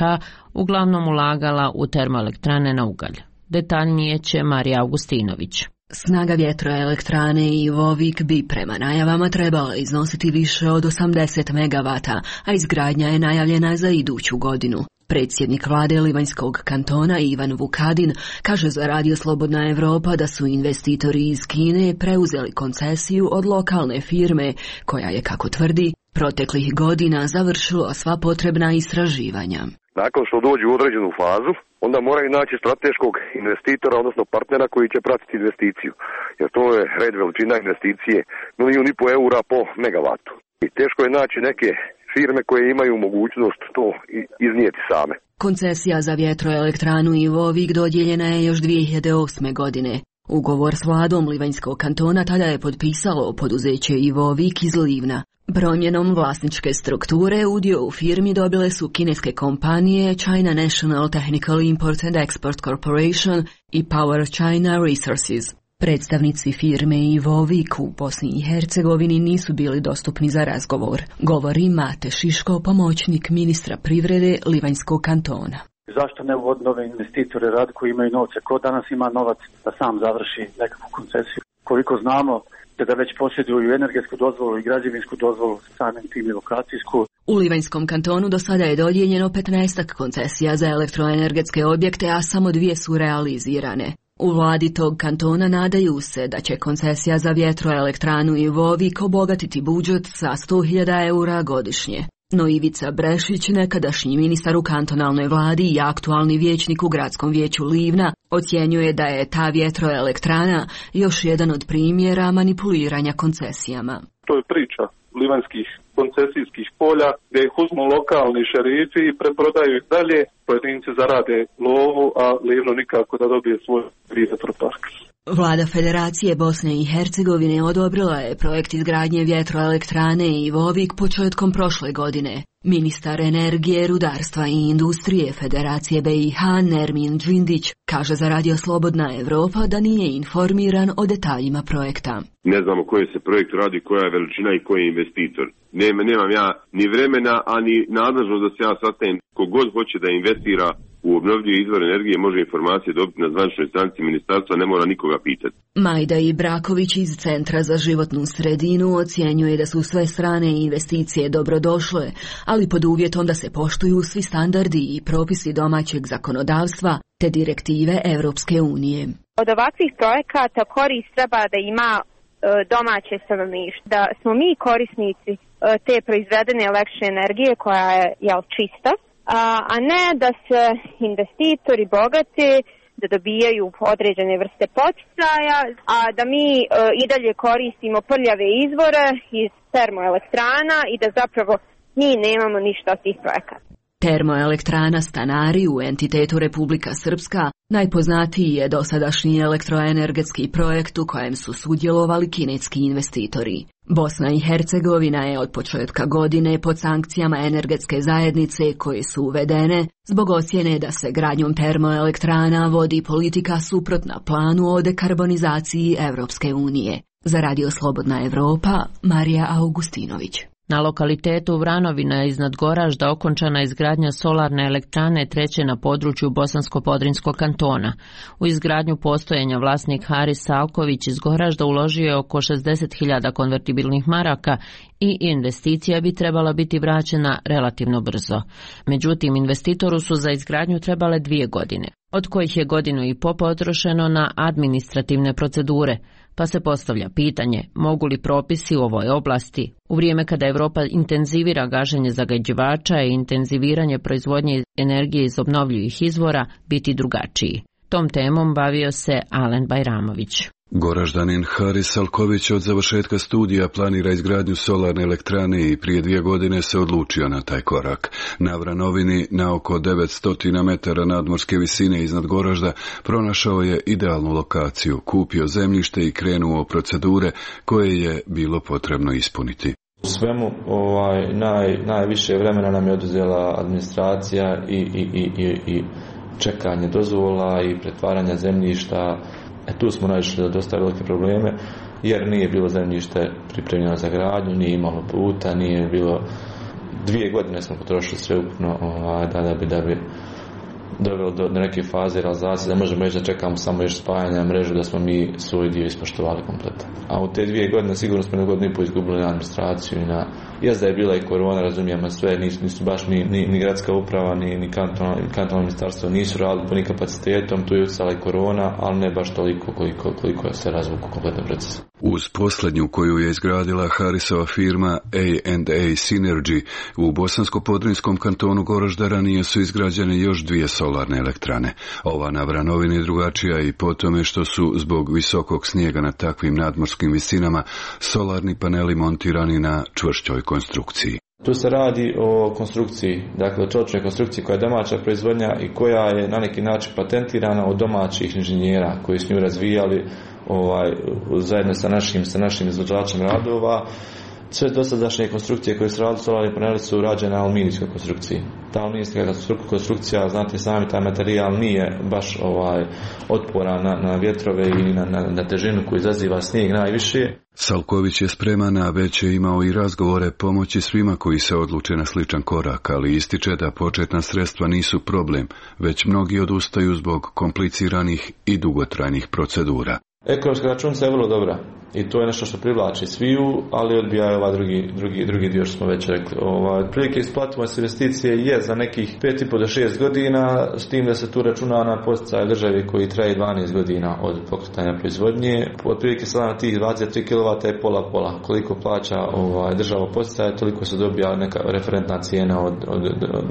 uglavnom ulagala u termoelektrane na ugalj. Detaljnije će Marija Augustinović. Snaga vjetroelektrane Ivovik bi prema najavama trebala iznositi više od 80 megavata, a izgradnja je najavljena za iduću godinu. Predsjednik vlade Livanjskog kantona Ivan Vukadin kaže za Radio Slobodna Evropa da su investitori iz Kine preuzeli koncesiju od lokalne firme, koja je, kako tvrdi, proteklih godina završila sva potrebna istraživanja. Nakon što dođu u određenu fazu, onda moraju naći strateškog investitora, odnosno partnera koji će pratiti investiciju. Jer to je red veličina investicije, 1,5 milijuna eura po megavatu. I teško je naći neke firme koje imaju mogućnost to iznijeti same. Koncesija za vjetroelektranu Ivovik dodijeljena je još 2008. godine. Ugovor s vladom Livanjskog kantona tada je potpisalo poduzeće Ivovik iz Livna. Promjenom vlasničke strukture udio u firmi dobile su kineske kompanije China National Technical Import and Export Corporation i Power China Resources. Predstavnici firme Ivovik u Bosni i Hercegovini nisu bili dostupni za razgovor, govori Mate Šiško, pomoćnik ministra privrede Livanjskog kantona. Zašto ne uvoditi nove investitore rad koji imaju novce? Ko danas ima novac da sam završi nekakvu koncesiju? Koliko znamo da već posjeduju energetsku dozvolu i građevinsku dozvolu, samim tim i lokacijsku. U Livanjskom kantonu do sada je dodijeljeno 15 koncesija za elektroenergetske objekte, a samo 2 su realizirane. U vladi tog kantona nadaju se da će koncesija za vjetroelektranu Ivovik obogatiti budžet sa 100.000 eura godišnje. No Ivica Brešić, nekadašnji ministar u kantonalnoj vladi i aktualni vijećnik u gradskom vijeću Livna, ocjenjuje da je ta vjetroelektrana još jedan od primjera manipuliranja koncesijama. To je priča livanjskih koncesijskih polja gdje ih uzmu lokalni šerifi i preprodaju ih dalje, pojedinci zarade lovu, a Livno nikako da dobije svoj vjetropark. Vlada Federacije Bosne i Hercegovine odobrila je projekt izgradnje vjetroelektrane Ivovik početkom prošle godine. Ministar energije, rudarstva i industrije Federacije BiH Nermin Džindić kaže za Radio Slobodna Evropa da nije informiran o detaljima projekta. Ne znamo koji se projekt radi, koja je veličina i koji je investitor. Nemam ja ni vremena, ani nadležnost da se ja sastajem. Kogod hoće da investira u obnovljive izvore energije može informacije dobiti na zvaničnoj stranici ministarstva, ne mora nikoga pitati. Majda Ibraković iz Centra za životnu sredinu ocjenjuje da su sve strane investicije dobrodošle, ali pod uvjetom da se poštuju svi standardi i propisi domaćeg zakonodavstva te direktive Europske unije. Od ovakvih projekata korist treba da ima domaće stanovništvo, da smo mi korisnici te proizvedene električne energije koja je čista, a ne da se investitori bogati, da dobijaju određene vrste poticaja, a da mi i dalje koristimo prljave izvore iz termoelektrana i da zapravo mi nemamo ništa od tih projekata. Termoelektrana Stanari u entitetu Republika Srpska najpoznatiji je dosadašnji elektroenergetski projekt u kojem su sudjelovali kineski investitori. Bosna i Hercegovina je od početka godine pod sankcijama energetske zajednice koje su uvedene zbog ocjene da se gradnjom termoelektrana vodi politika suprotna planu o dekarbonizaciji Evropske unije. Za Radio Slobodna Evropa, Marija Augustinović. Na lokalitetu Vranovina iznad Goražda okončana izgradnja solarne elektrane treće na području Bosansko-Podrinjskog kantona. U izgradnju postojenja vlasnik Haris Salković iz Goražda uložio je oko 60.000 konvertibilnih maraka i investicija bi trebala biti vraćena relativno brzo. Međutim, investitoru su za izgradnju trebale 2 godine, od kojih je 1,5 godine potrošeno na administrativne procedure, pa se postavlja pitanje mogu li propisi u ovoj oblasti, u vrijeme kada Europa intenzivira gaženje zagađivača i intenziviranje proizvodnje energije iz obnovljivih izvora, biti drugačiji. Tom temom bavio se Alen Bajramović. Goraždanin Haris Salković od završetka studija planira izgradnju solarne elektrane i prije 2 godine se odlučio na taj korak. Na Vranovini, na oko 900 metara nadmorske visine iznad Goražda, pronašao je idealnu lokaciju, kupio zemljište i krenuo procedure koje je bilo potrebno ispuniti. U svemu najviše vremena nam je oduzela administracija i čekanje dozvola i pretvaranja zemljišta. Tu smo naišli na dosta velike probleme jer nije bilo zemljište pripremljeno za gradnju, nije imalo puta, nije bilo 2 godine smo potrošili sve ukupno da bi dovelo do neke faze realizacije, da možemo reći da čekamo samo još spajanja mrežu, da smo mi svoj dio ispoštovali kompletan. A u te 2 godine sigurno smo 1,5 godine izgubili na administraciju i da je bila i korona, razumijemo sve, nisu baš ni gradska uprava, ni kantonalno ministarstvo nisu radili punim kapacitetom, tu je utjecala i korona, ali ne baš toliko koliko je se razvuku kompletan proces. Uz posljednju koju je izgradila Harisova firma A&A Synergy u Bosansko-Podrinjskom kantonu Goražda ranije su izgrađene još 2 solarne elektrane. Ova na Vranovini drugačija i po tome što su zbog visokog snijega na takvim nadmorskim visinama solarni paneli montirani na čvršćoj konstrukciji. Tu se radi o konstrukciji, dakle o čeličnoj konstrukciji koja je domaća proizvodnja i koja je na neki način patentirana od domaćih inženjera koji su nju razvijali zajedno sa našim izvođačem radova. Sve dosadašnje konstrukcije koje su radili solarni paneli su rađene na aluminijskoj konstrukciji. Ta aluminijska konstrukcija, znate sami, taj materijal nije baš otporan na vjetrove i na težinu koju izaziva snijeg najviše. Salković je spreman, a već je imao i razgovore pomoći svima koji se odluče na sličan korak, ali ističe da početna sredstva nisu problem, već mnogi odustaju zbog kompliciranih i dugotrajnih procedura. Ekonomska računica je vrlo dobra i to je nešto što privlači sviju, ali odbija ovaj drugi dio što smo već rekli. Otprilike isplativost investicije je za nekih 5,5 do 6 godina, s tim da se tu računa na podsticaj državi koji traje 12 godina od pokretanja proizvodnje. Otprilike sada na tih 23 kW je pola. Koliko plaća država podsticaja, toliko se dobija neka referentna cijena od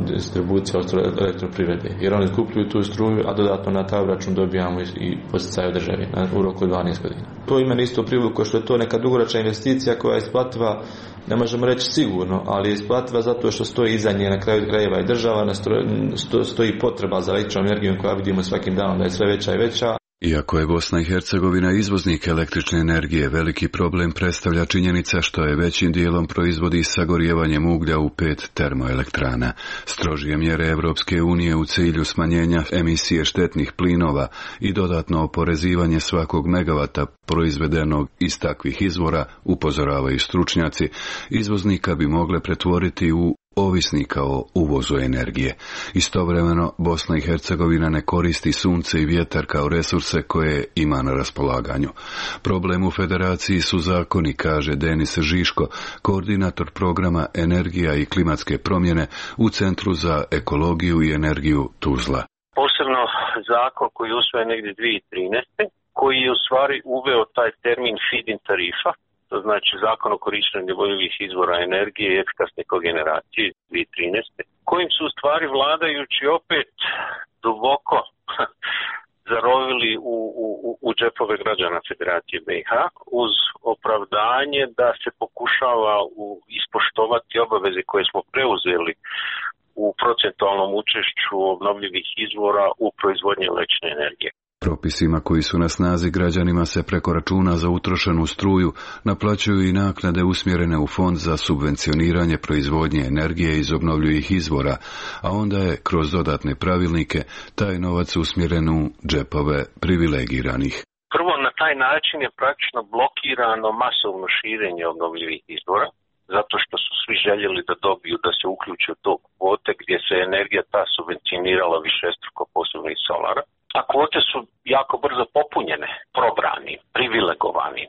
distribucije od elektroprivrede. Jer oni kupuju tu struju, a dodatno na taj račun dobijamo i podsticaj od državi u roku 12 godina. To ima isto priliku što je to neka dugoročna investicija koja je isplativa, ne možemo reći sigurno, ali je isplativa zato što stoji iza nje na kraju krajeva i država, stoji potreba za električnom energijom koja vidimo svakim danom da je sve veća i veća. Iako je Bosna i Hercegovina izvoznik električne energije, veliki problem predstavlja činjenica što je većim dijelom proizvodi sagorijevanjem uglja u 5 termoelektrana. Strožije mjere Evropske unije u cilju smanjenja emisije štetnih plinova i dodatno oporezivanje svakog megavata proizvedenog iz takvih izvora, upozoravaju stručnjaci, izvoznika bi mogle pretvoriti u ovisnika o uvozu energije. Istovremeno, Bosna i Hercegovina ne koristi sunce i vjetar kao resurse koje ima na raspolaganju. Problem u federaciji su zakoni, kaže Denis Žiško, koordinator programa Energija i klimatske promjene u Centru za ekologiju i energiju Tuzla. Posebno zakon koji je usvojen negdje 2013. koji je u stvari uveo taj termin feed-in tarifa, to znači zakon o korištenju obnovljivih izvora energije i efikasne kogeneracije 2013. kojim su u stvari vladajući opet duboko zarovili u džepove građana Federacije BiH uz opravdanje da se pokušava ispoštovati obaveze koje smo preuzeli u procentualnom učešću obnovljivih izvora u proizvodnji električne energije. Propisima koji su na snazi građanima se preko računa za utrošenu struju naplaćuju i naknade usmjerene u fond za subvencioniranje proizvodnje energije iz obnovljivih izvora, a onda je kroz dodatne pravilnike taj novac usmjeren u džepove privilegiranih. Prvo, na taj način je praktično blokirano masovno širenje obnovljivih izvora, zato što su svi željeli da dobiju da se uključe u to kvote gdje se energija ta subvencionirala višestruko, posebno iz solara. A kvote su jako brzo popunjene, probrani, privilegovani,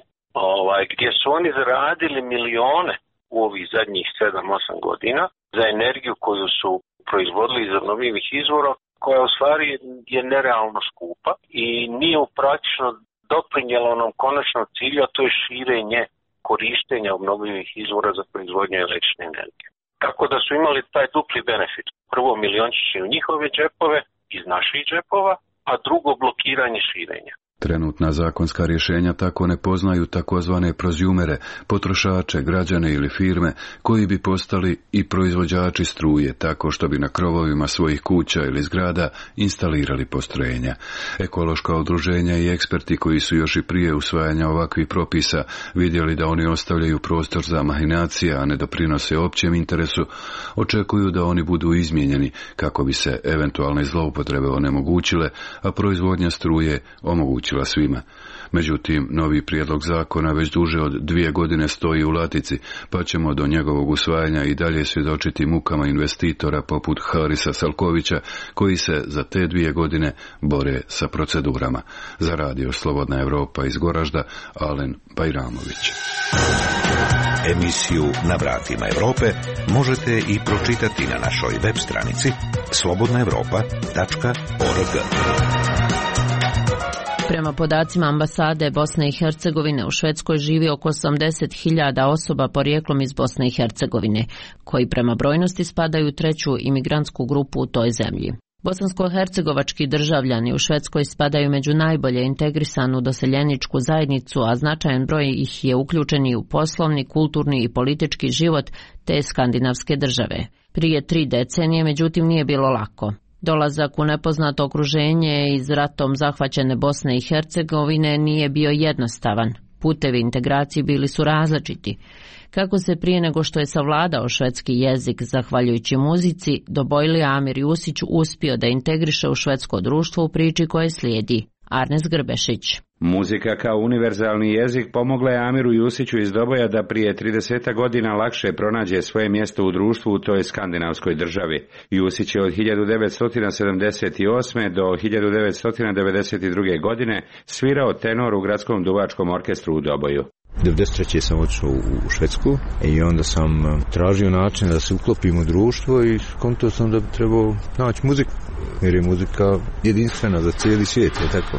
gdje su oni zaradili milione u ovih zadnjih 7-8 godina za energiju koju su proizvodili iz obnovljivih izvora, koja u stvari je nerealno skupa i nije praktično doprinjela onom konačnom cilju, a to je širenje korištenja obnovljivih izvora za proizvodnju električne energije. Tako da su imali taj dupli benefit. Prvo, miliončići u njihove džepove, iz naših džepova, a drugo, blokiranje širenja. Trenutna zakonska rješenja tako ne poznaju takozvane prozjumere, potrošače, građane ili firme koji bi postali i proizvođači struje tako što bi na krovovima svojih kuća ili zgrada instalirali postrojenja. Ekološka udruženja i eksperti koji su još i prije usvajanja ovakvih propisa vidjeli da oni ostavljaju prostor za mahinacije, a ne doprinose općem interesu, očekuju da oni budu izmijenjeni kako bi se eventualne zloupotrebe onemogućile, a proizvodnja struje omogućila svima. Međutim, novi prijedlog zakona već duže od 2 godine stoji u latici, pa ćemo do njegovog usvajanja i dalje svjedočiti mukama investitora poput Harisa Salkovića, koji se za te 2 godine bore sa procedurama. Za radio Slobodna Evropa iz Goražda, Alen Bajramović. Emisiju Na vratima Europe možete i pročitati na našoj web stranici slobodnaevropa.org. Prema podacima ambasade Bosne i Hercegovine u Švedskoj živi oko 80.000 osoba porijeklom iz Bosne i Hercegovine, koji prema brojnosti spadaju u 3. imigrantsku grupu u toj zemlji. Bosansko-hercegovački državljani u Švedskoj spadaju među najbolje integrisanu doseljeničku zajednicu, a značajan broj ih je uključeni u poslovni, kulturni i politički život te skandinavske države. Prije 3 decenije, međutim, nije bilo lako. Dolazak u nepoznato okruženje iz ratom zahvaćene Bosne i Hercegovine nije bio jednostavan. Putevi integracije bili su različiti. Kako se prije nego što je savladao švedski jezik zahvaljujući muzici, Dobojlija Amir Jusić uspio da integriše u švedsko društvo u priči koje slijedi. Arnes Grbešić. Muzika kao univerzalni jezik pomogla je Amiru Jusiću iz Doboja da prije 30 godina lakše pronađe svoje mjesto u društvu u toj skandinavskoj državi. Jusić je od 1978. do 1992. godine svirao tenor u gradskom duvačkom orkestru u Doboju. 1993. sam otišao u Švedsku i onda sam tražio način da se uklopim u društvo i skontao sam da bi trebao naći muziku, jer je muzika jedinstvena za cijeli svijet, je tako.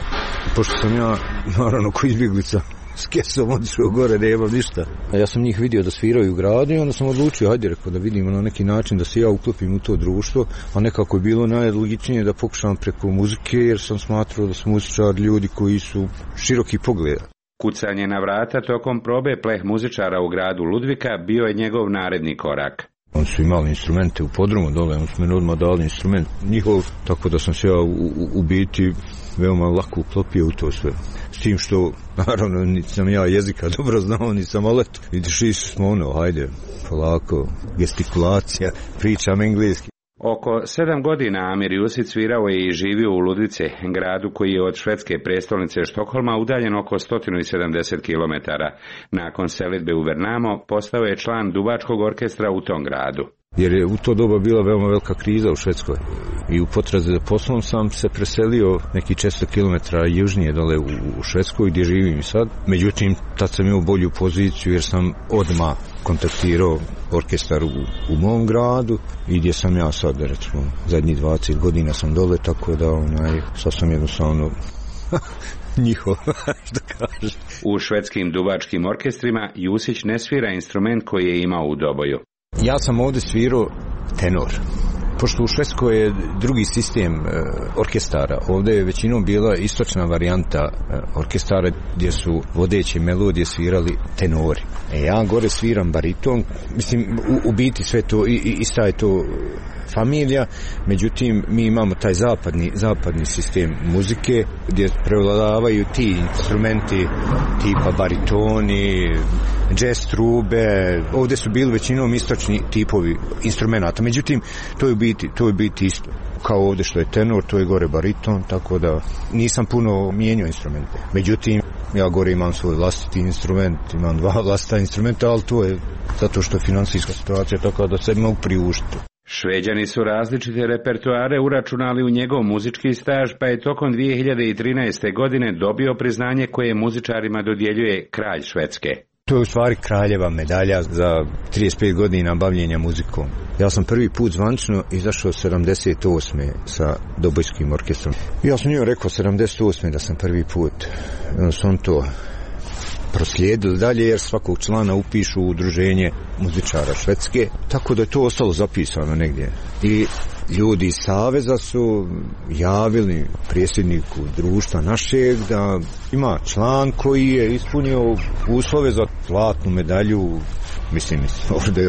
Pošto sam ja, naravno, ko izbjeglica, s kesom otišao gore, nema ništa. Ja sam njih vidio da sviraju u gradu i onda sam odlučio, hajde, rekao, da vidimo na neki način da se ja uklopim u to društvo, a nekako je bilo najlogičnije da pokušam preko muzike, jer sam smatrao da su muzičari ljudi koji su široki pogleda. Kucanje na vrata tokom probe pleh muzičara u gradu Ludvika bio je njegov naredni korak. Oni su imali instrumente u podrumu dole, oni su meni odmah dali instrument njihov, tako da sam se ja u biti veoma lako uklopio u to sve. S tim što, naravno, niti sam ja jezika dobro znao, niti sam olet. Vidiš, išli smo ono, hajde, polako, gestikulacija, pričam engleski. Oko 7 godina Amir Jusić svirao je i živio u Ludvice, gradu koji je od švedske prestolnice Štokholma udaljen oko 170 km. Nakon selidbe u Värnamo postao je član duvačkog orkestra u tom gradu. Jer je u to doba bila veoma velika kriza u Švedskoj i u potrazi za poslom sam se preselio neki 400 km južnije dole u Švedskoj gdje živim i sad. Međutim, tad sam imao bolju poziciju jer sam odmah kontaktirao orkestar u mom gradu i gdje sam ja sad, recimo, zadnjih 20 godina sam dole, tako da sad sam jednostavno njihov, što kaže. U švedskim duvačkim orkestrima Jusić ne svira instrument koji je imao u Doboju. Ja sam ovdje svirao tenor. Pošto u Švedskoj je drugi sistem orkestara, ovdje je većinom bila istočna varijanta orkestara gdje su vodeće melodije svirali tenori. Ja gore sviram bariton, mislim u biti sve to ista je to familija, međutim mi imamo taj zapadni sistem muzike gdje prevladavaju ti instrumenti tipa baritoni, jazz trube, ovdje su bili većinom istočni tipovi instrumenta, međutim to je u biti isto. Kao ovdje što je tenor, to je gore bariton, tako da nisam puno mijenjao instrumente. Međutim, ja gore imam svoj vlastiti instrument, imam 2 vlastita instrumenta, ali to je zato što je financijska situacija tako da se mogu priuštiti. Šveđani su različite repertoare uračunali u njegov muzički staž, pa je tokom 2013. godine dobio priznanje koje muzičarima dodjeljuje kralj Švedske. To je u stvari kraljeva medalja za 35 godina bavljenja muzikom. Ja sam prvi put zvanično izašao 78. sa Dobojskim orkestrom. Ja sam njoj rekao 78. da sam prvi put. Sam to proslijedili dalje jer svakog člana upišu u udruženje muzičara Švedske, tako da je to ostalo zapisano negdje. I ljudi iz Saveza su javili predsjedniku društva našeg da ima član koji je ispunio uslove za zlatnu medalju. Mislim,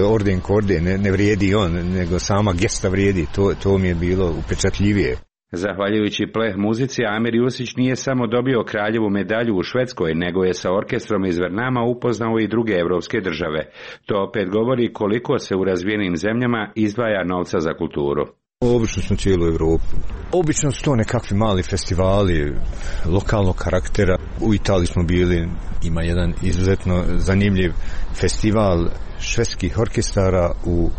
orden ko orden, ne vrijedi on, nego sama gesta vrijedi, to mi je bilo upečatljivije. Zahvaljujući pleh muzici, Amir Jusić nije samo dobio kraljevu medalju u Švedskoj, nego je sa orkestrom iz Värnama upoznao i druge evropske države. To opet govori koliko se u razvijenim zemljama izdvaja novca za kulturu. Obično smo cijelu Evropu. Obično su to nekakvi mali festivali lokalnog karaktera. U Italiji smo bili, ima jedan izuzetno zanimljiv festival švedskih orkestara u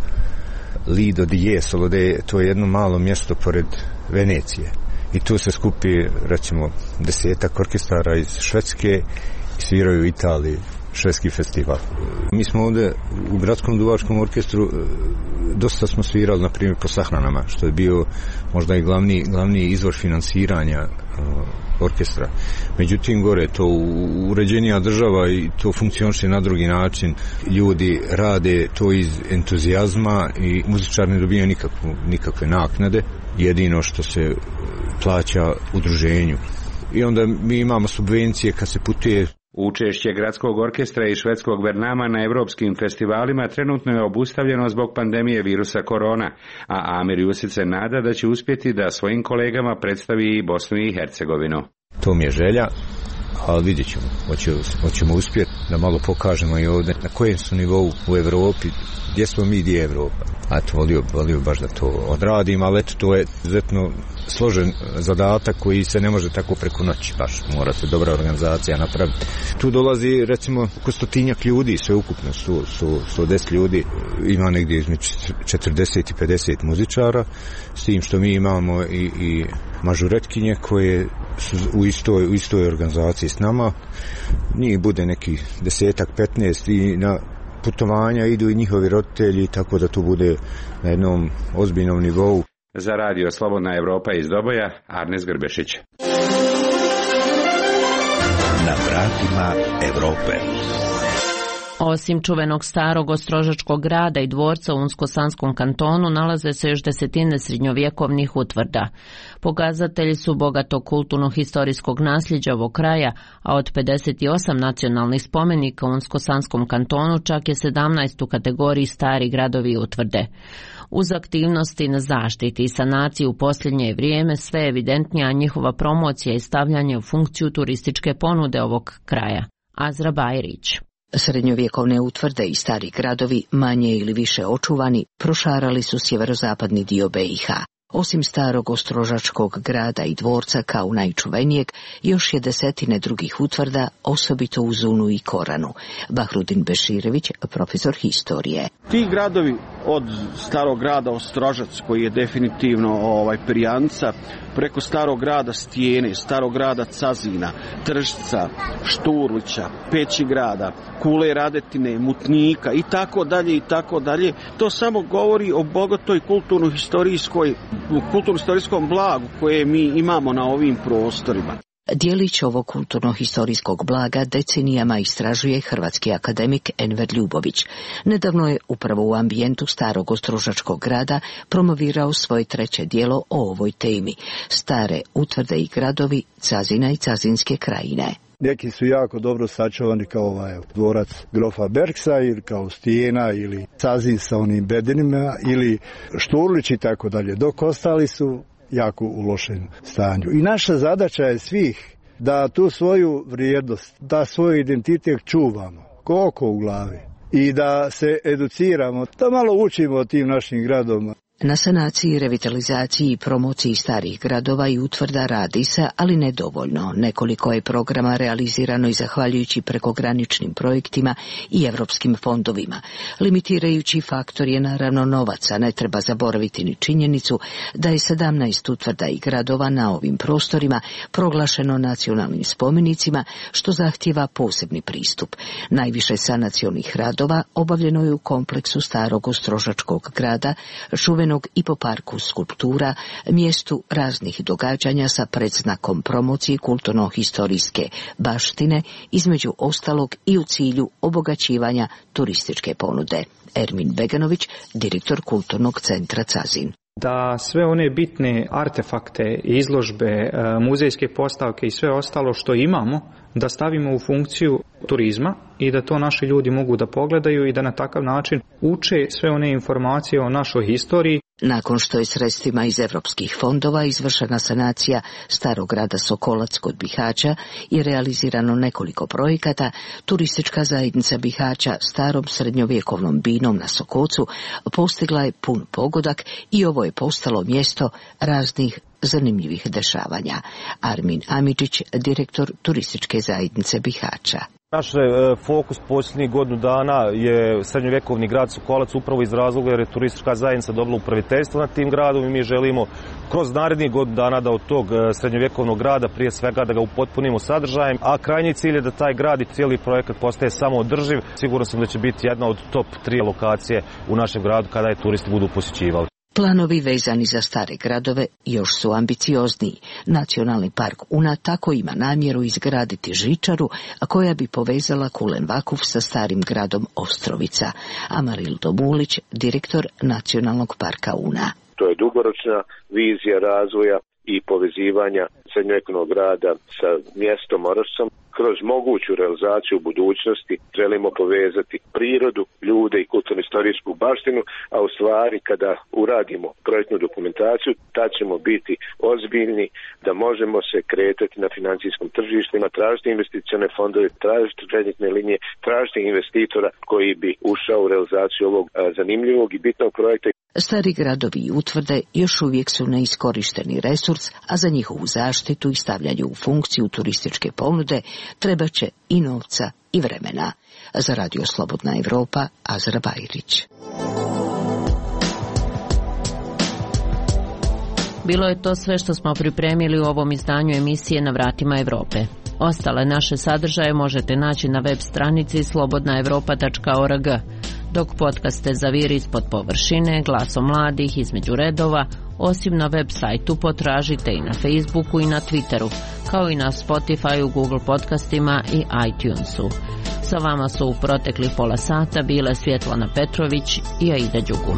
Lido di Jesolo, to je jedno malo mjesto pored Venecije. I tu se skupi, recimo, 10 orkestara iz Švedske i sviraju u Italiji švedski festival. Mi smo ovdje u Gradskom duvačkom orkestru dosta smo svirali, na primjer, po sahranama, što je bio možda i glavni izvor finansiranja orkestra. Međutim, gore to uređenija država i to funkcioniše na drugi način. Ljudi rade to iz entuzijazma i muzičar ne dobija nikakve naknade. Jedino što se plaća udruženju. I onda mi imamo subvencije kad se putuje. Učešće Gradskog orkestra i švedskog Vernama na evropskim festivalima trenutno je obustavljeno zbog pandemije virusa korona, a Amir Jusić se nada da će uspjeti da svojim kolegama predstavi i Bosnu i Hercegovinu. To mi je želja, ali vidjet ćemo. Hoćemo uspjeti da malo pokažemo i ovdje na kojem su nivou u Evropi, gdje smo mi, gdje je Evropa. Eto, volio baš da to odradim, ali eto, to je izuzetno složen zadatak koji se ne može tako preko noći, baš mora se dobra organizacija napraviti. Tu dolazi recimo oko 100 ljudi, sve ukupno 110 ljudi, ima negdje između 40 i 50 muzičara, s tim što mi imamo i mažuretkinje koje su u istoj organizaciji s nama. Njih bude neki 10-15 i na putovanja idu i njihovi roditelji, tako da to bude na jednom ozbiljnom nivou. Za radio Slobodna Evropa iz Doboja, Arnes Grbešić. Na vratima Evrope. Osim čuvenog starog ostrožačkog grada i dvorca u Unsko-Sanskom kantonu nalaze se još desetine srednjovjekovnih utvrda. Pokazatelji su bogatog kulturno-historijskog nasljeđa ovog kraja, a od 58 nacionalnih spomenika u Unsko-Sanskom kantonu čak je 17 u kategoriji stari gradovi i utvrde. Uz aktivnosti na zaštiti i sanaciji u posljednje vrijeme sve je evidentnija njihova promocija i stavljanje u funkciju turističke ponude ovog kraja. Azra Bajrić. Srednjovjekovne utvrde i stari gradovi, manje ili više očuvani, prošarali su sjeverozapadni dio BiH. Osim starog ostrožačkog grada i dvorca kao najčuvenijeg, još je desetine drugih utvrda, osobito u Zunu i Koranu. Bahrudin Beširević, profesor historije. Ti gradovi od starog grada Ostrožac, koji je definitivno perjanica, preko starog grada Stijene, starog grada Cazina, Tržca, Šturlića, Pećigrada, Kule Radetine, Mutnika i tako dalje. To samo govori o bogatoj kulturno-historijskom blagu koje mi imamo na ovim prostorima. Dijelić ovog kulturno-historijskog blaga decenijama istražuje hrvatski akademik Enver Ljubović. Nedavno je upravo u ambijentu starog ostrožačkog grada promovirao svoje treće djelo o ovoj temi. Stare utvrde i gradovi Cazina i Cazinske krajine. Neki su jako dobro sačuvani kao dvorac grofa Berksa ili kao Stijena ili Cazin sa onim bedenima ili Šturlić i tako dalje, dok ostali su jako u lošem stanju. I naša zadaća je svih da tu svoju vrijednost, da svoj identitet čuvamo, koliko u glavi i da se educiramo, da malo učimo o tim našim gradovima. Na sanaciji, revitalizaciji i promociji starih gradova i utvrda radi se, ali nedovoljno. Nekoliko je programa realizirano i zahvaljujući prekograničnim projektima i evropskim fondovima. Limitirajući faktor je naravno novaca. Ne treba zaboraviti ni činjenicu da je 17 utvrda i gradova na ovim prostorima proglašeno nacionalnim spomenicima, što zahtijeva posebni pristup. Najviše sanacionih radova obavljeno je u kompleksu starog ostrožačkog grada, čuvenog i po parku skulptura, mjestu raznih događanja sa predznakom promocije kulturno-historijske baštine, između ostalog i u cilju obogaćivanja turističke ponude. Ermin Beganović, direktor Kulturnog centra Cazin. Da sve one bitne artefakte, izložbe, muzejske postavke i sve ostalo što imamo, da stavimo u funkciju turizma i da to naši ljudi mogu da pogledaju i da na takav način uče sve one informacije o našoj historiji. Nakon što je sredstvima iz evropskih fondova izvršena sanacija starog grada Sokolac kod Bihaća i realizirano nekoliko projekata, turistička zajednica Bihaća starom srednjovjekovnom binom na Sokocu postigla je pun pogodak i ovo je postalo mjesto raznih zanimljivih dešavanja. Armin Amidžić, direktor turističke zajednice Bihaća. Naš fokus posljednjih godinu dana je srednjovjekovni grad Sokolac, upravo iz razloga jer je turistička zajednica dobila upraviteljstvo nad tim gradom i mi želimo kroz narednih godinu dana da od tog srednjovjekovnog grada prije svega da ga upotpunimo sadržajem, a krajnji cilj je da taj grad i cijeli projekat postaje samoodrživ. Siguran sam da će biti jedna od top 3 lokacije u našem gradu kada je turisti budu posjećivali. Planovi vezani za stare gradove još su ambiciozniji. Nacionalni park Una tako ima namjeru izgraditi žičaru, a koja bi povezala Kulen Vakuf sa starim gradom Ostrovica. Amarildo Bulić, direktor Nacionalnog parka Una. To je dugoročna vizija razvoja i povezivanja srednjovjekovnog grada sa mjestom Orašcom. Kroz moguću realizaciju u budućnosti želimo povezati prirodu, ljude i kulturno-istorijsku baštinu, a u stvari kada uradimo projektnu dokumentaciju, tad ćemo biti ozbiljni da možemo se kretati na financijskom tržištima, tražiti investicione fondove, tražiti kreditne linije, tražiti investitora koji bi ušao u realizaciju ovog zanimljivog i bitnog projekta. Stari gradovi i utvrde još uvijek su neiskorišteni resurs, a za njihovu zaštitu i stavljanje u funkciju turističke ponude treba će i novca i vremena. Za Radio Slobodna Evropa, Azra Bajrić. Bilo je to sve što smo pripremili u ovom izdanju emisije Na vratima Evrope. Ostale naše sadržaje možete naći na web stranici slobodnaevropa.org, dok podcaste Zaviri ispod površine, Glasom mladih, Između redova, osim na web sajtu potražite i na Facebooku i na Twitteru, kao i na Spotifyu, Google podcastima i iTunesu. Sa vama su u proteklih pola sata bile Svjetlana Petrović i Aida Đugum.